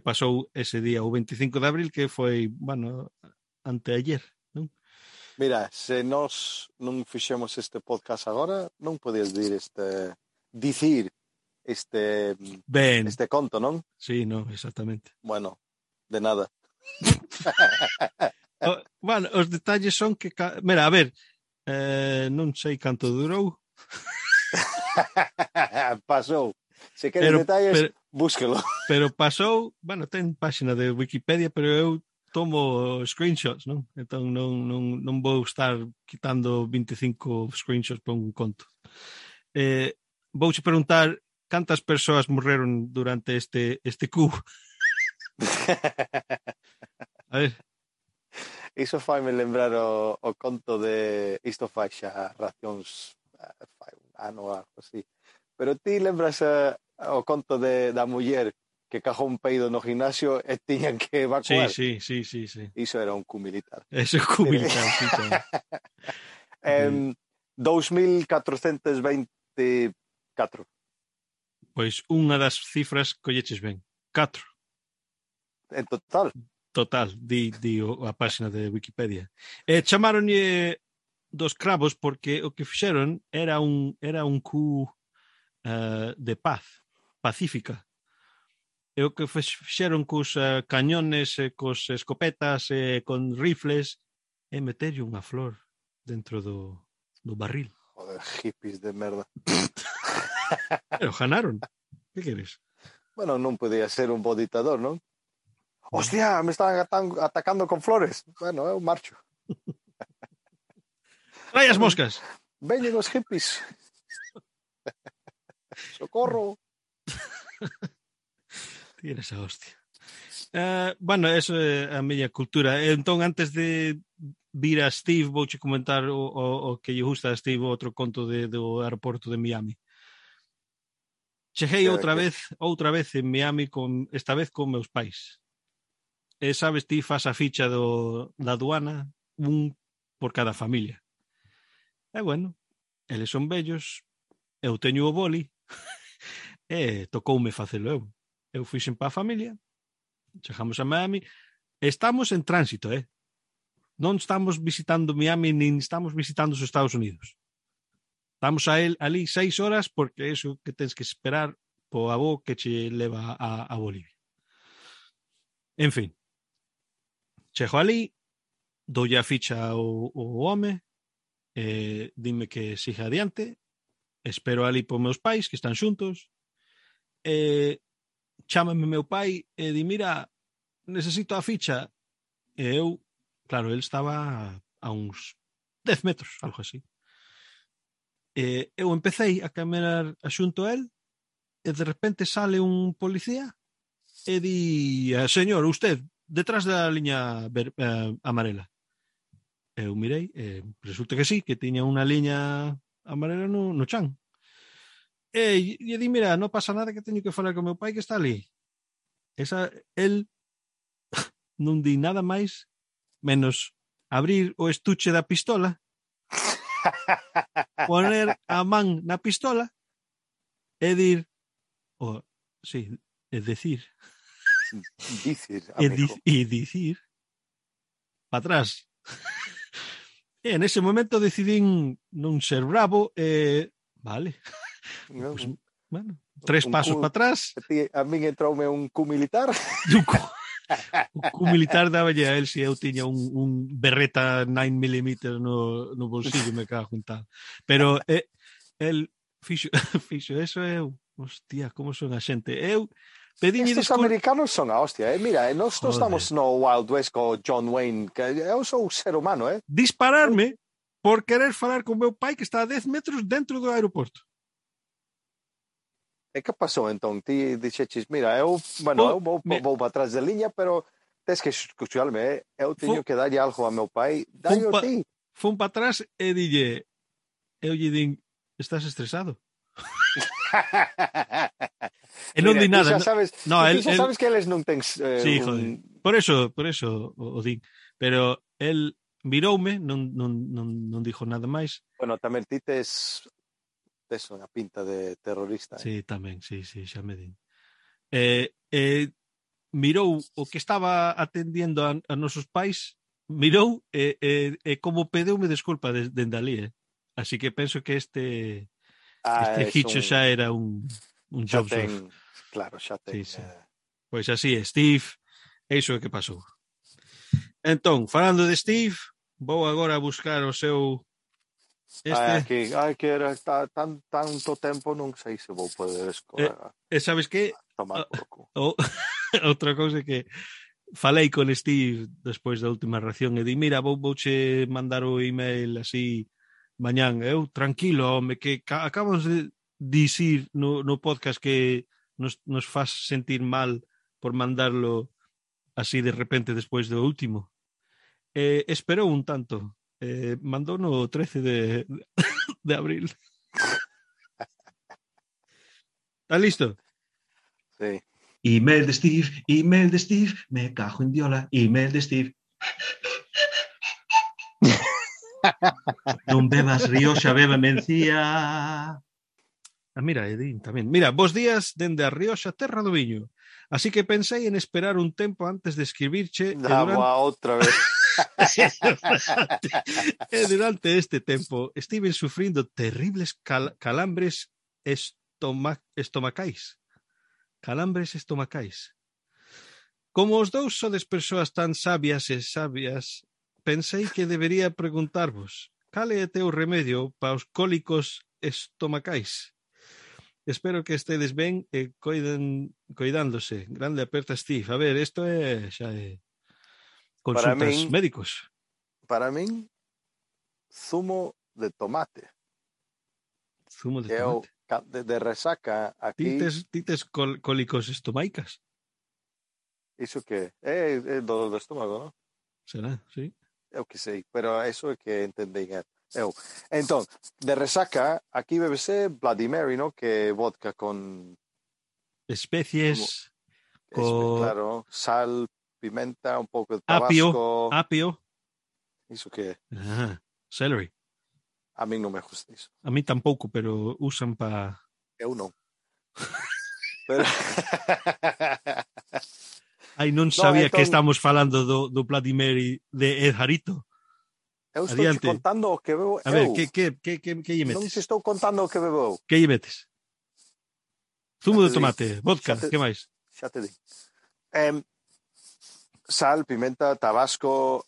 Pasou ese día, o 25 de abril, que foi, bueno, anteayer, non? Mira, se nós non fixemos este podcast agora, non podías dicir este conto, non? Sí, non, exactamente. Bueno, de nada. Bueno, os detalles son que... Mira, a ver, non sei canto durou. Pasou. Se queres detalles, búsquelo. Pero pasou, bueno, ten página de Wikipedia, pero eu tomo screenshots, non? Entón non vou estar quitando 25 screenshots para un conto. Vouche preguntar cantas persoas morreron durante este cubo. A ver. Iso faime lembrar o conto de isto fai xa racións fai un ano ou algo así. Pero ti lembras o conto da muller que cajou un peido no gimnasio e tiñan que evacuar? Sí. Iso era un coup militar. Eso é un coup militar, sí. 2.424. Pois unha das cifras colleches ben. 4. En total? Total, di a página de Wikipedia. Chamaronlle dos cravos porque o que fixeron era un coup de paz, pacífica. E o que fixeron cos cañones, cos escopetas, con rifles, é meterlle unha flor dentro do barril. Joder, hippies de merda. Pero ganaron. Que queres? Bueno, non podía ser un bo dictador, non? Hostia, me están atacando con flores. Bueno, eu marcho. Trai as moscas. Veñen os hippies. Socorro. Tienes a hostia. Bueno, eso é a miña cultura. Entón, antes de vir a Steve, vouche comentar o que lle gusta a Steve, outro conto do aeroporto de Miami. Cheguei outra vez en Miami, esta vez con meus pais. E sabes, ti fas a ficha da aduana, un por cada familia. E bueno, eles son vellos, eu teño o boli, e tocoume facelo eu. Eu fixen pa a familia, chegamos a Miami, estamos en tránsito, non estamos visitando Miami, nin estamos visitando os Estados Unidos. Estamos ali 6 horas porque é iso que tens que esperar po avó que che leva a Bolivia. En fin, chego ali, doulle a ficha ao home, dime que siga adiante, espero ali por meus pais que están xuntos, chámame meu pai e di, mira, necesito a ficha. E eu, claro, ele estaba a uns 10 metros, algo así. Eu empecé a caminar xunto a él e de repente sale un policía e di, señor, usted, detrás da liña amarela. Eu mirei, resulta que sí, que tiña unha liña amarela no chan. E di, mira, non pasa nada, que teño que falar con meu pai que está ali. El non di nada máis menos abrir o estuche da pistola, poner a man na pistola e dir, sí, decir amigo. E dicir para atrás. E en ese momento decidín non ser bravo vale. Pues, bueno, 3 pasos para atrás. A min entroume un cu militar. O cu militar daballe a él se eu tiña un berreta 9mm no bolsillo, me cago en tal. Pero el fixo eso, hostia, como son a xente. Eu pediñe Estos americanos son a hostia, Mira, nós estamos no Wild West co John Wayne, que eu sou ser humano, Dispararme por querer falar con meu pai que está a 10 metros dentro do aeroporto. E que pasou entón? Ti dixeches, mira, eu vou para atrás da liña, pero tens que escucharme, eu teño que darlle algo a meu pai, dalle a ti. Fun para atrás e dille, eu lle din, estás estresado? E non di nada. Xa sabes que eles non tens... sí, joder. Por eso o din. Pero el miroume, non dixo nada máis. Bueno, tamén ti tes unha pinta de terrorista. Sí, tamén, sí, xa me din. Mirou o que estaba atendiendo a nosos pais, mirou e como pedeume desculpa dende ali, Así que penso que este Hicho xa era un job surf. Claro, xa ten. Sí. Pois así é, Steve, iso é que pasou. Entón, falando de Steve, vou agora a buscar o seu... que era tanto tempo, non sei se vou poder escolar. Sabes que? Tomar porco. Outra cousa que falei con Steve despois da última ración e di, mira, vouche mandar o email así mañán. Eu, tranquilo, home, que acabamos de dicir no podcast que nos faz sentir mal por mandarlo así de repente despois do último. Esperou un tanto. Mandou no 13 de abril. ¿Está listo? Sí. Email de Steve, me cajo en diola, email de Steve. Non bebas Rioxa, beba mencía. Mira, Edín, tamén. Mira, bos días dende a Rioxa, terra do viño. Así que pensei en esperar un tempo antes de escribirche. Outra vez. Durante este tempo estiven sufrindo terribles calambres estomacais. Calambres estomacais. Como os dous sodes persoas tan sabias, pensei que debería preguntarvos cal é o teu remedio para os cólicos estomacais. Espero que estedes ben e coidándose. Grande aperta, Steve. A ver, isto xa é consultas médicos. Para min, zumo de tomate. Zumo de tomate. De resaca aquí... Ti tes cólicos estomaicas? Iso que é do estómago, non? Será, sí. Eu que sei, pero eso é que entendei eu. Entón, de resaca, aquí bebese Bloody Mary, ¿no? Que vodka con... Especies. Claro, sal, pimenta, un pouco de tabasco. Apio. Iso que celery. A mí non me gusta iso. A mí tampouco, pero usan para... Eu non. Pero... Ai, non sabía que estamos falando do Bloody Mary de Ed Jarito. Eu estou te contando o que bebo eu. A ver, que lle metes? Non te estou contando o que bebo eu. Que lle metes? Zumo de tomate, vodka, que máis? Xa te di. Sal, pimenta, tabasco...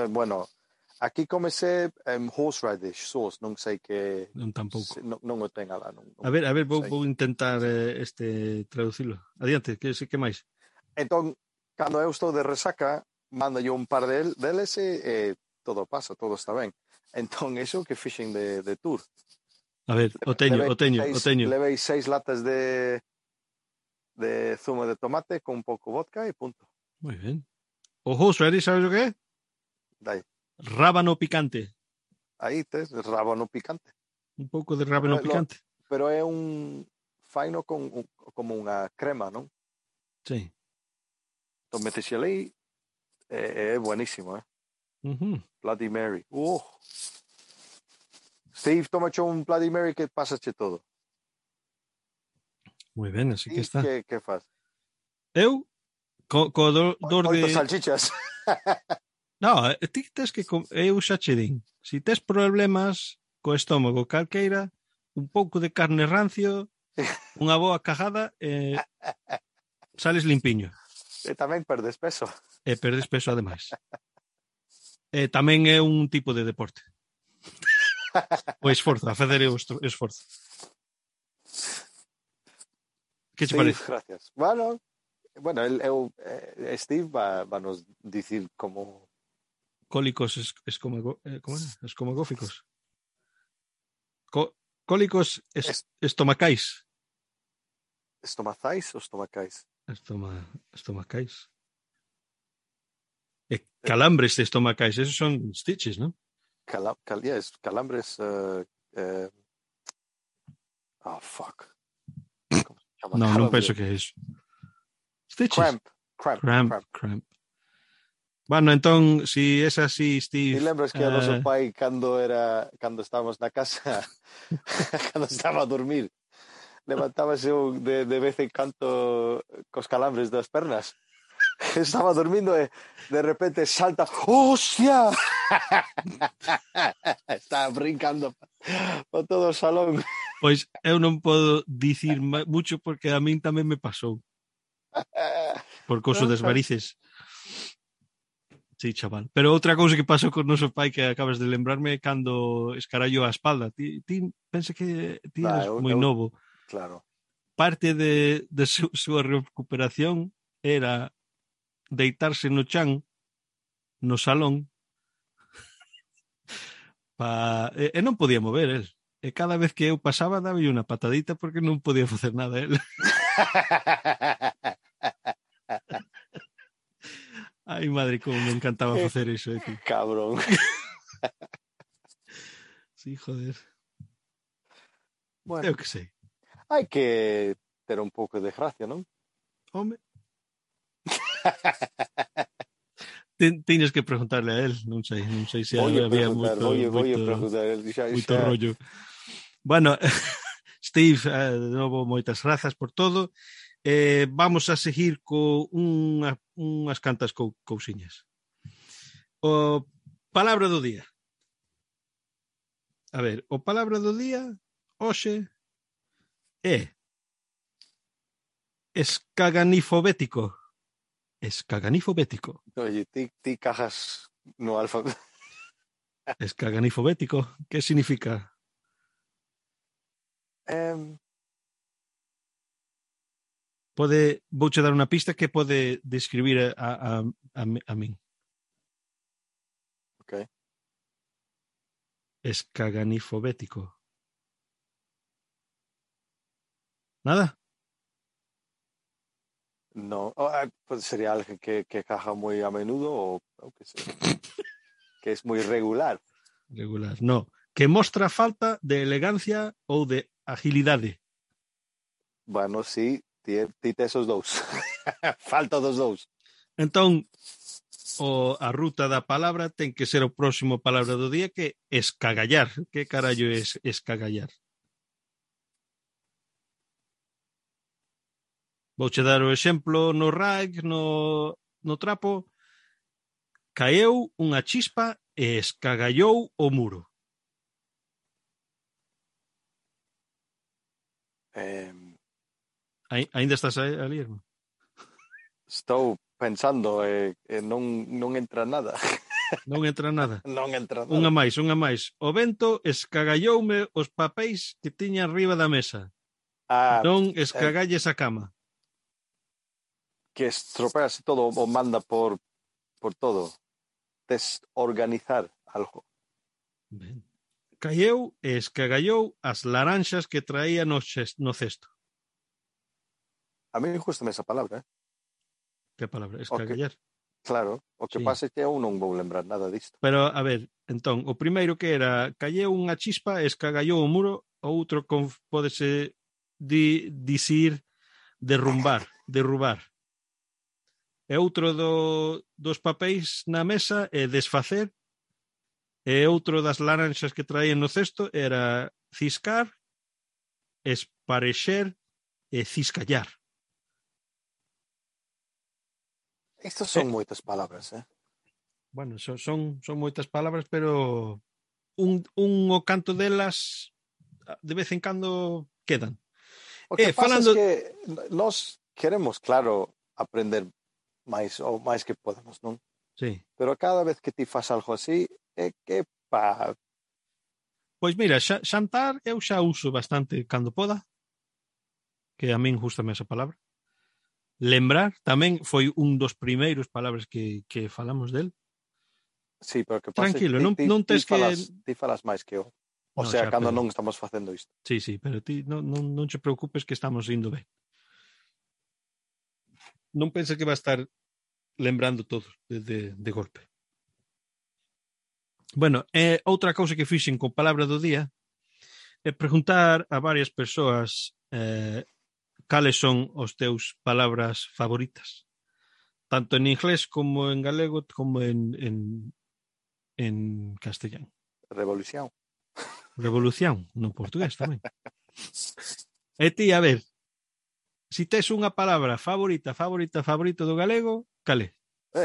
bueno, aquí comecei horseradish sauce, non sei que... Non tampouco. Non o ten alá. A ver, vou intentar traducilo. Adiante, que máis? Entón, cando eu estou de resaca, mando yo un par deles e todo pasa, todo está ben. Entón, iso que fixen de tour. A ver, o teño. Levei 6 latas de zumo de tomate con un pouco vodka e punto. Muy bien. O horseradish, sabes o que é? Dai. Rábano picante. Aí tes rábano picante. Un pouco de rábano picante. Pero é un faino como unha crema, non? Sí. Entón metes ali é buenísimo, Bloody Mary. Steve, tómache un Bloody Mary que pasache todo. Moi ben, así que está. Que faz? Eu, co dor de... Oito salchichas. No, ti tes que... Eu xa che din. Si tes problemas co estómago calqueira, un pouco de carne rancio, unha boa cajada, sales limpiño. E tamén perdes peso. E perdes peso ademais. E tamén é un tipo de deporte. O esforzo, a fazer o esforzo. Que che parece? Gracias. Bueno, Steve va nos dicir como Cólicos escomagóficos. Cólicos estomacais. Estomacais ou estomacais? Estomacais. E calambres estomacais, esos son stitches, ¿no? Calambres. Fuck. No, non penso que é iso. Stitches. Cramp. Bueno, entón, si es así, Steve... E lembras que a noso pai cando estábamos na casa, cando estaba a dormir, levantábase de vez en cando cos calambres das pernas. Estaba dormindo e de repente salta, ¡hostia! Estaba brincando por todo o salón. Pois eu non podo dicir mucho porque a min tamén me pasou. Por couso das varices. Sí, chaval. Pero outra cousa que pasou con noso pai que acabas de lembrarme cando escarallou a espalda. Ti pensa que ti eras moi novo. Claro. Parte de súa recuperación era deitarse no chan no salón e non podía mover el. E cada vez que eu pasaba daba unha patadita porque non podía facer nada el. Ai, madre, como me encantaba facer iso, tío. Cabrón. Sí, joder. Bueno, eu que sei. Hai que ter un pouco de gracia, non? Home. Tiñes que preguntarle a él, non sei se había moito rollo. Bueno, Steve, de novo, moitas grazas por todo. Vamos a seguir co unhas cantas cousiñas. O palabra do día. A ver, o palabra do día hoxe é escaganifobético. Escaganifobético. Oye, ti cajas no alfa. Escaganifobético, que significa? Vouche dar unha pista que pode describir a min. Ok. Escaganifobético. Nada? No, pues sería alguien que caja muy a menudo o que sea. Que es muy regular. Regular, no. Que mostra falta de elegancia ou de agilidade. Bueno, sí, tite esos dous. Falta dos dous. Entón, a ruta da palabra ten que ser o próximo palabra do día que escagallar. Que carallo é escagallar? Vouche dar o exemplo no rag, no trapo. Caeu unha chispa e escagallou o muro. Ainda estás ali, irmão? Estou pensando non entra nada. Non entra nada? Non entra nada. Unha máis. O vento escagalloume os papéis que tiña arriba da mesa. Non escagalles a cama. Que estropeas todo o manda por todo. Desorganizar algo. Ben. caeu e escagallou as laranxas que traía no cesto. A mí gustame esa palabra, Que palabra? Escagallar. Claro, o que Sí. pasa é que eu non vou lembrar nada disto. Pero, a ver, entón, o primeiro que era calleu unha chispa e escagallou o muro, o outro pódese dicir derrubar. E outro dos papéis na mesa é desfacer, e outro das laranxas que traían no cesto era ciscar, esparexer e ciscallar. Estas son moitas palabras, Bueno, son moitas palabras, pero un o canto delas de vez en cando quedan. O que pasa falando... é que nós queremos, claro, aprender máis ou máis que podemos, non? Sí. Pero cada vez que ti fas algo así, é que Pois mira, xantar eu xa uso bastante cando poda, que a min gustame esa palabra. Lembrar tamén foi un dos primeiros palabras que falamos del. Sí, pero que pasa Tranquilo, que non tes ti falas máis que eu. O No, sea, xa, cando pero... non estamos facendo isto. Sí, pero ti non te preocupes que estamos indo ben. Non penses que va a estar lembrando todo de golpe. Bueno, outra cousa que fixen con palabra do día é preguntar a varias persoas cales son os teus palabras favoritas. Tanto en inglés como en galego como en castellán. Revolución. Revolución, no portugués tamén. E ti, a ver, si tes unha palabra favorita do galego, cal é?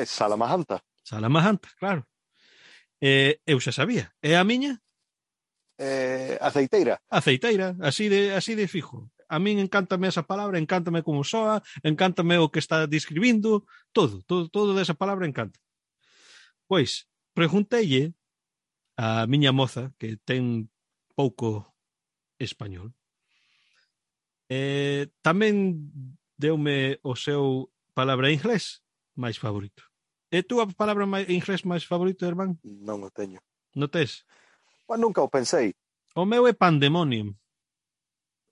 Salamajanta. Salamajanta, claro. Eu xa sabía. E a miña? Aceiteira. Aceiteira, así de fijo. A min encántame esa palabra, encántame como soa, encántame o que está describindo, todo desa palabra encanta. Pois, pregunteille a miña moza, que ten pouco español, tamén deume o seu palabra inglés máis favorito. E tú a palabra inglés máis favorito, irmán? Non o teño. Non tes? Mas nunca o pensei. O meu é pandemonium.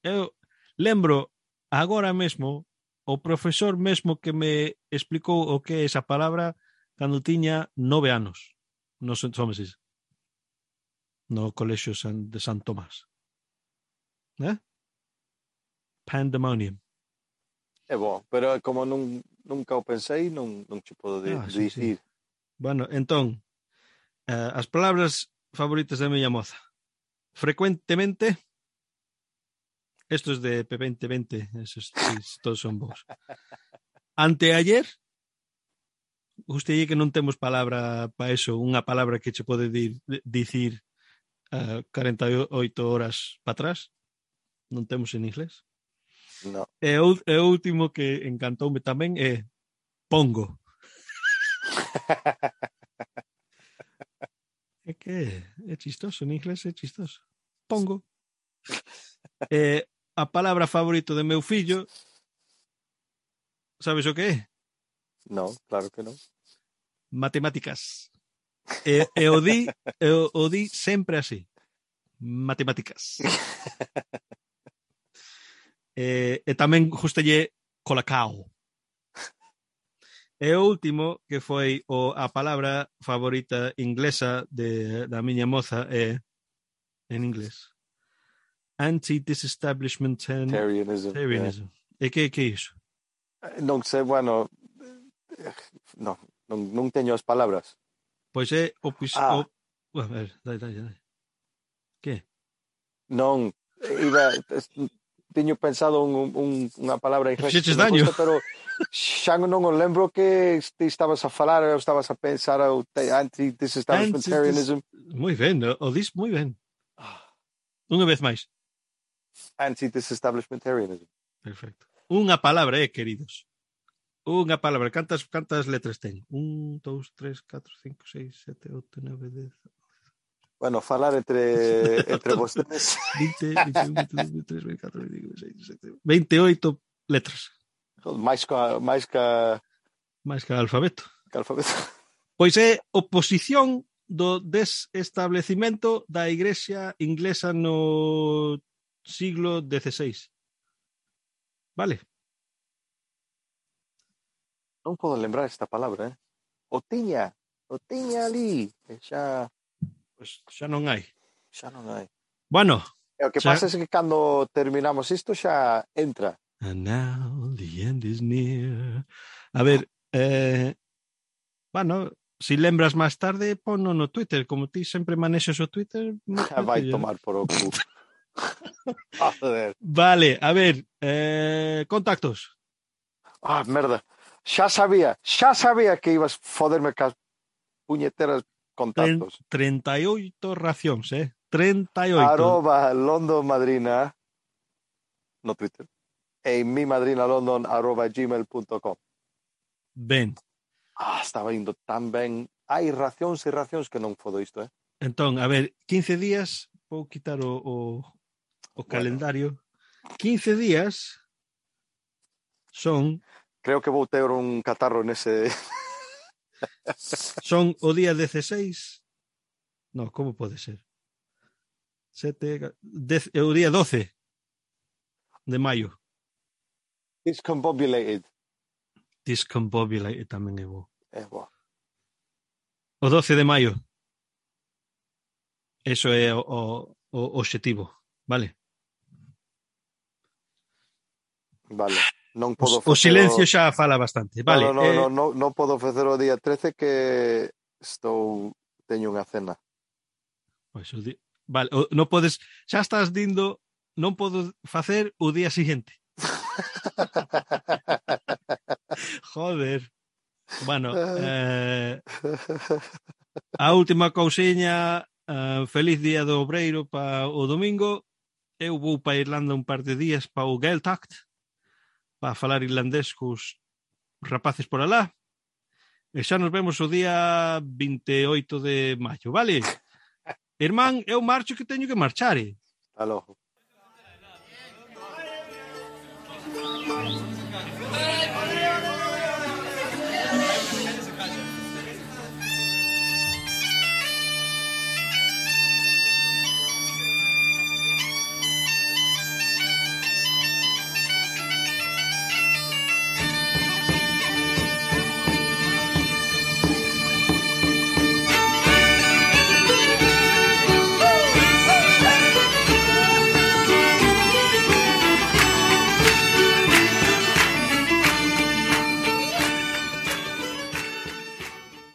Eu lembro agora mesmo o profesor mesmo que me explicou o que é esa palabra cando tiña 9 anos. No Somesis. No colexio de San Tomás. Pandemonium. É bom, pero como nunca o pensei, non te podo dicir. Sí. Bueno, entón, as palabras favoritas da miña moza. Frecuentemente, estos de P2020, esos todos son bons. Anteayer, gustei que non temos palabra para eso, unha palabra que che pode dicir 48 horas para atrás. Non temos en inglés. No. E o último que encantoume tamén é pongo. É que é chistoso, en inglés é chistoso. Pongo. A palabra favorito de meu fillo, sabes o que é? Non, claro que non. Matemáticas. E o di sempre así. Matemáticas. E tamén justalle colacao. E o último, que foi a palabra favorita inglesa da miña moza é en inglés. Anti-disestablishmentarianism. Yeah. E que é iso? Non sei, bueno, non teño as palabras. Pois é a ver, dai. Que? Non, teño pensado unha palabra en inglés que me gusta, pero xa non o lembro que ti estabas a falar, ou estabas a pensar o anti-disestablishmentarianism. Moi ben, o dis moi ben. Unha vez máis. Anti-disestablishmentarianism. Perfecto. Unha palabra, queridos. Unha palabra. Cantas letras ten? 1, 2, 3, 4, 5, 6, 7, 8, 9, 10... Bueno, falar entre vostedes. 20, 21, 22, 23, 24, 25, 26, 27, 28 letras. máis que alfabeto. Que alfabeto. Pois é oposición do desestablecimento da Igrexa inglesa no siglo XVI. Vale? Non podo lembrar esta palabra, O tiña ali. Xa Pois xa non hai. non hai. Bueno. E o que pasa é que cando terminamos isto xa entra. And now the end is near. A ver, bueno, si lembras máis tarde, ponno no Twitter. Como ti sempre manexas o Twitter... Vai tomar por o cu. Joder. Vale, a ver, contactos. Merda. Xa sabía que ibas foderme cas puñeteras contactos. 38 racións, 38. @LondonMadrina no Twitter. E mimadrinalondon@gmail.com. Ben. Estaba indo tan ben. Hai racións e racións que non fodo isto, Entón, a ver, 15 días, vou quitar o calendario. 15 días son... Creo que vou ter un catarro nese... Son o día 16... No, como pode ser? 7... o día 12 de maio. Discombobulated tamén é bo. É bo. O 12 de maio. Eso é o obxectivo, vale? Vale. Non podo o silencio xa fala bastante, vale? Non podo facer o día 13 que teño unha cena. Pois vale, non podes, xa estás dindo, non podo facer o día seguinte. Joder. Bueno, a última cousiña, feliz día do obreiro para o domingo. Eu vou para Irlanda un par de días para o Gaeltacht, para falar irlandés cos rapaces por alá. E xa nos vemos o día 28 de maio, vale? Irmán, eu marcho que teño que marchar. Hasta logo.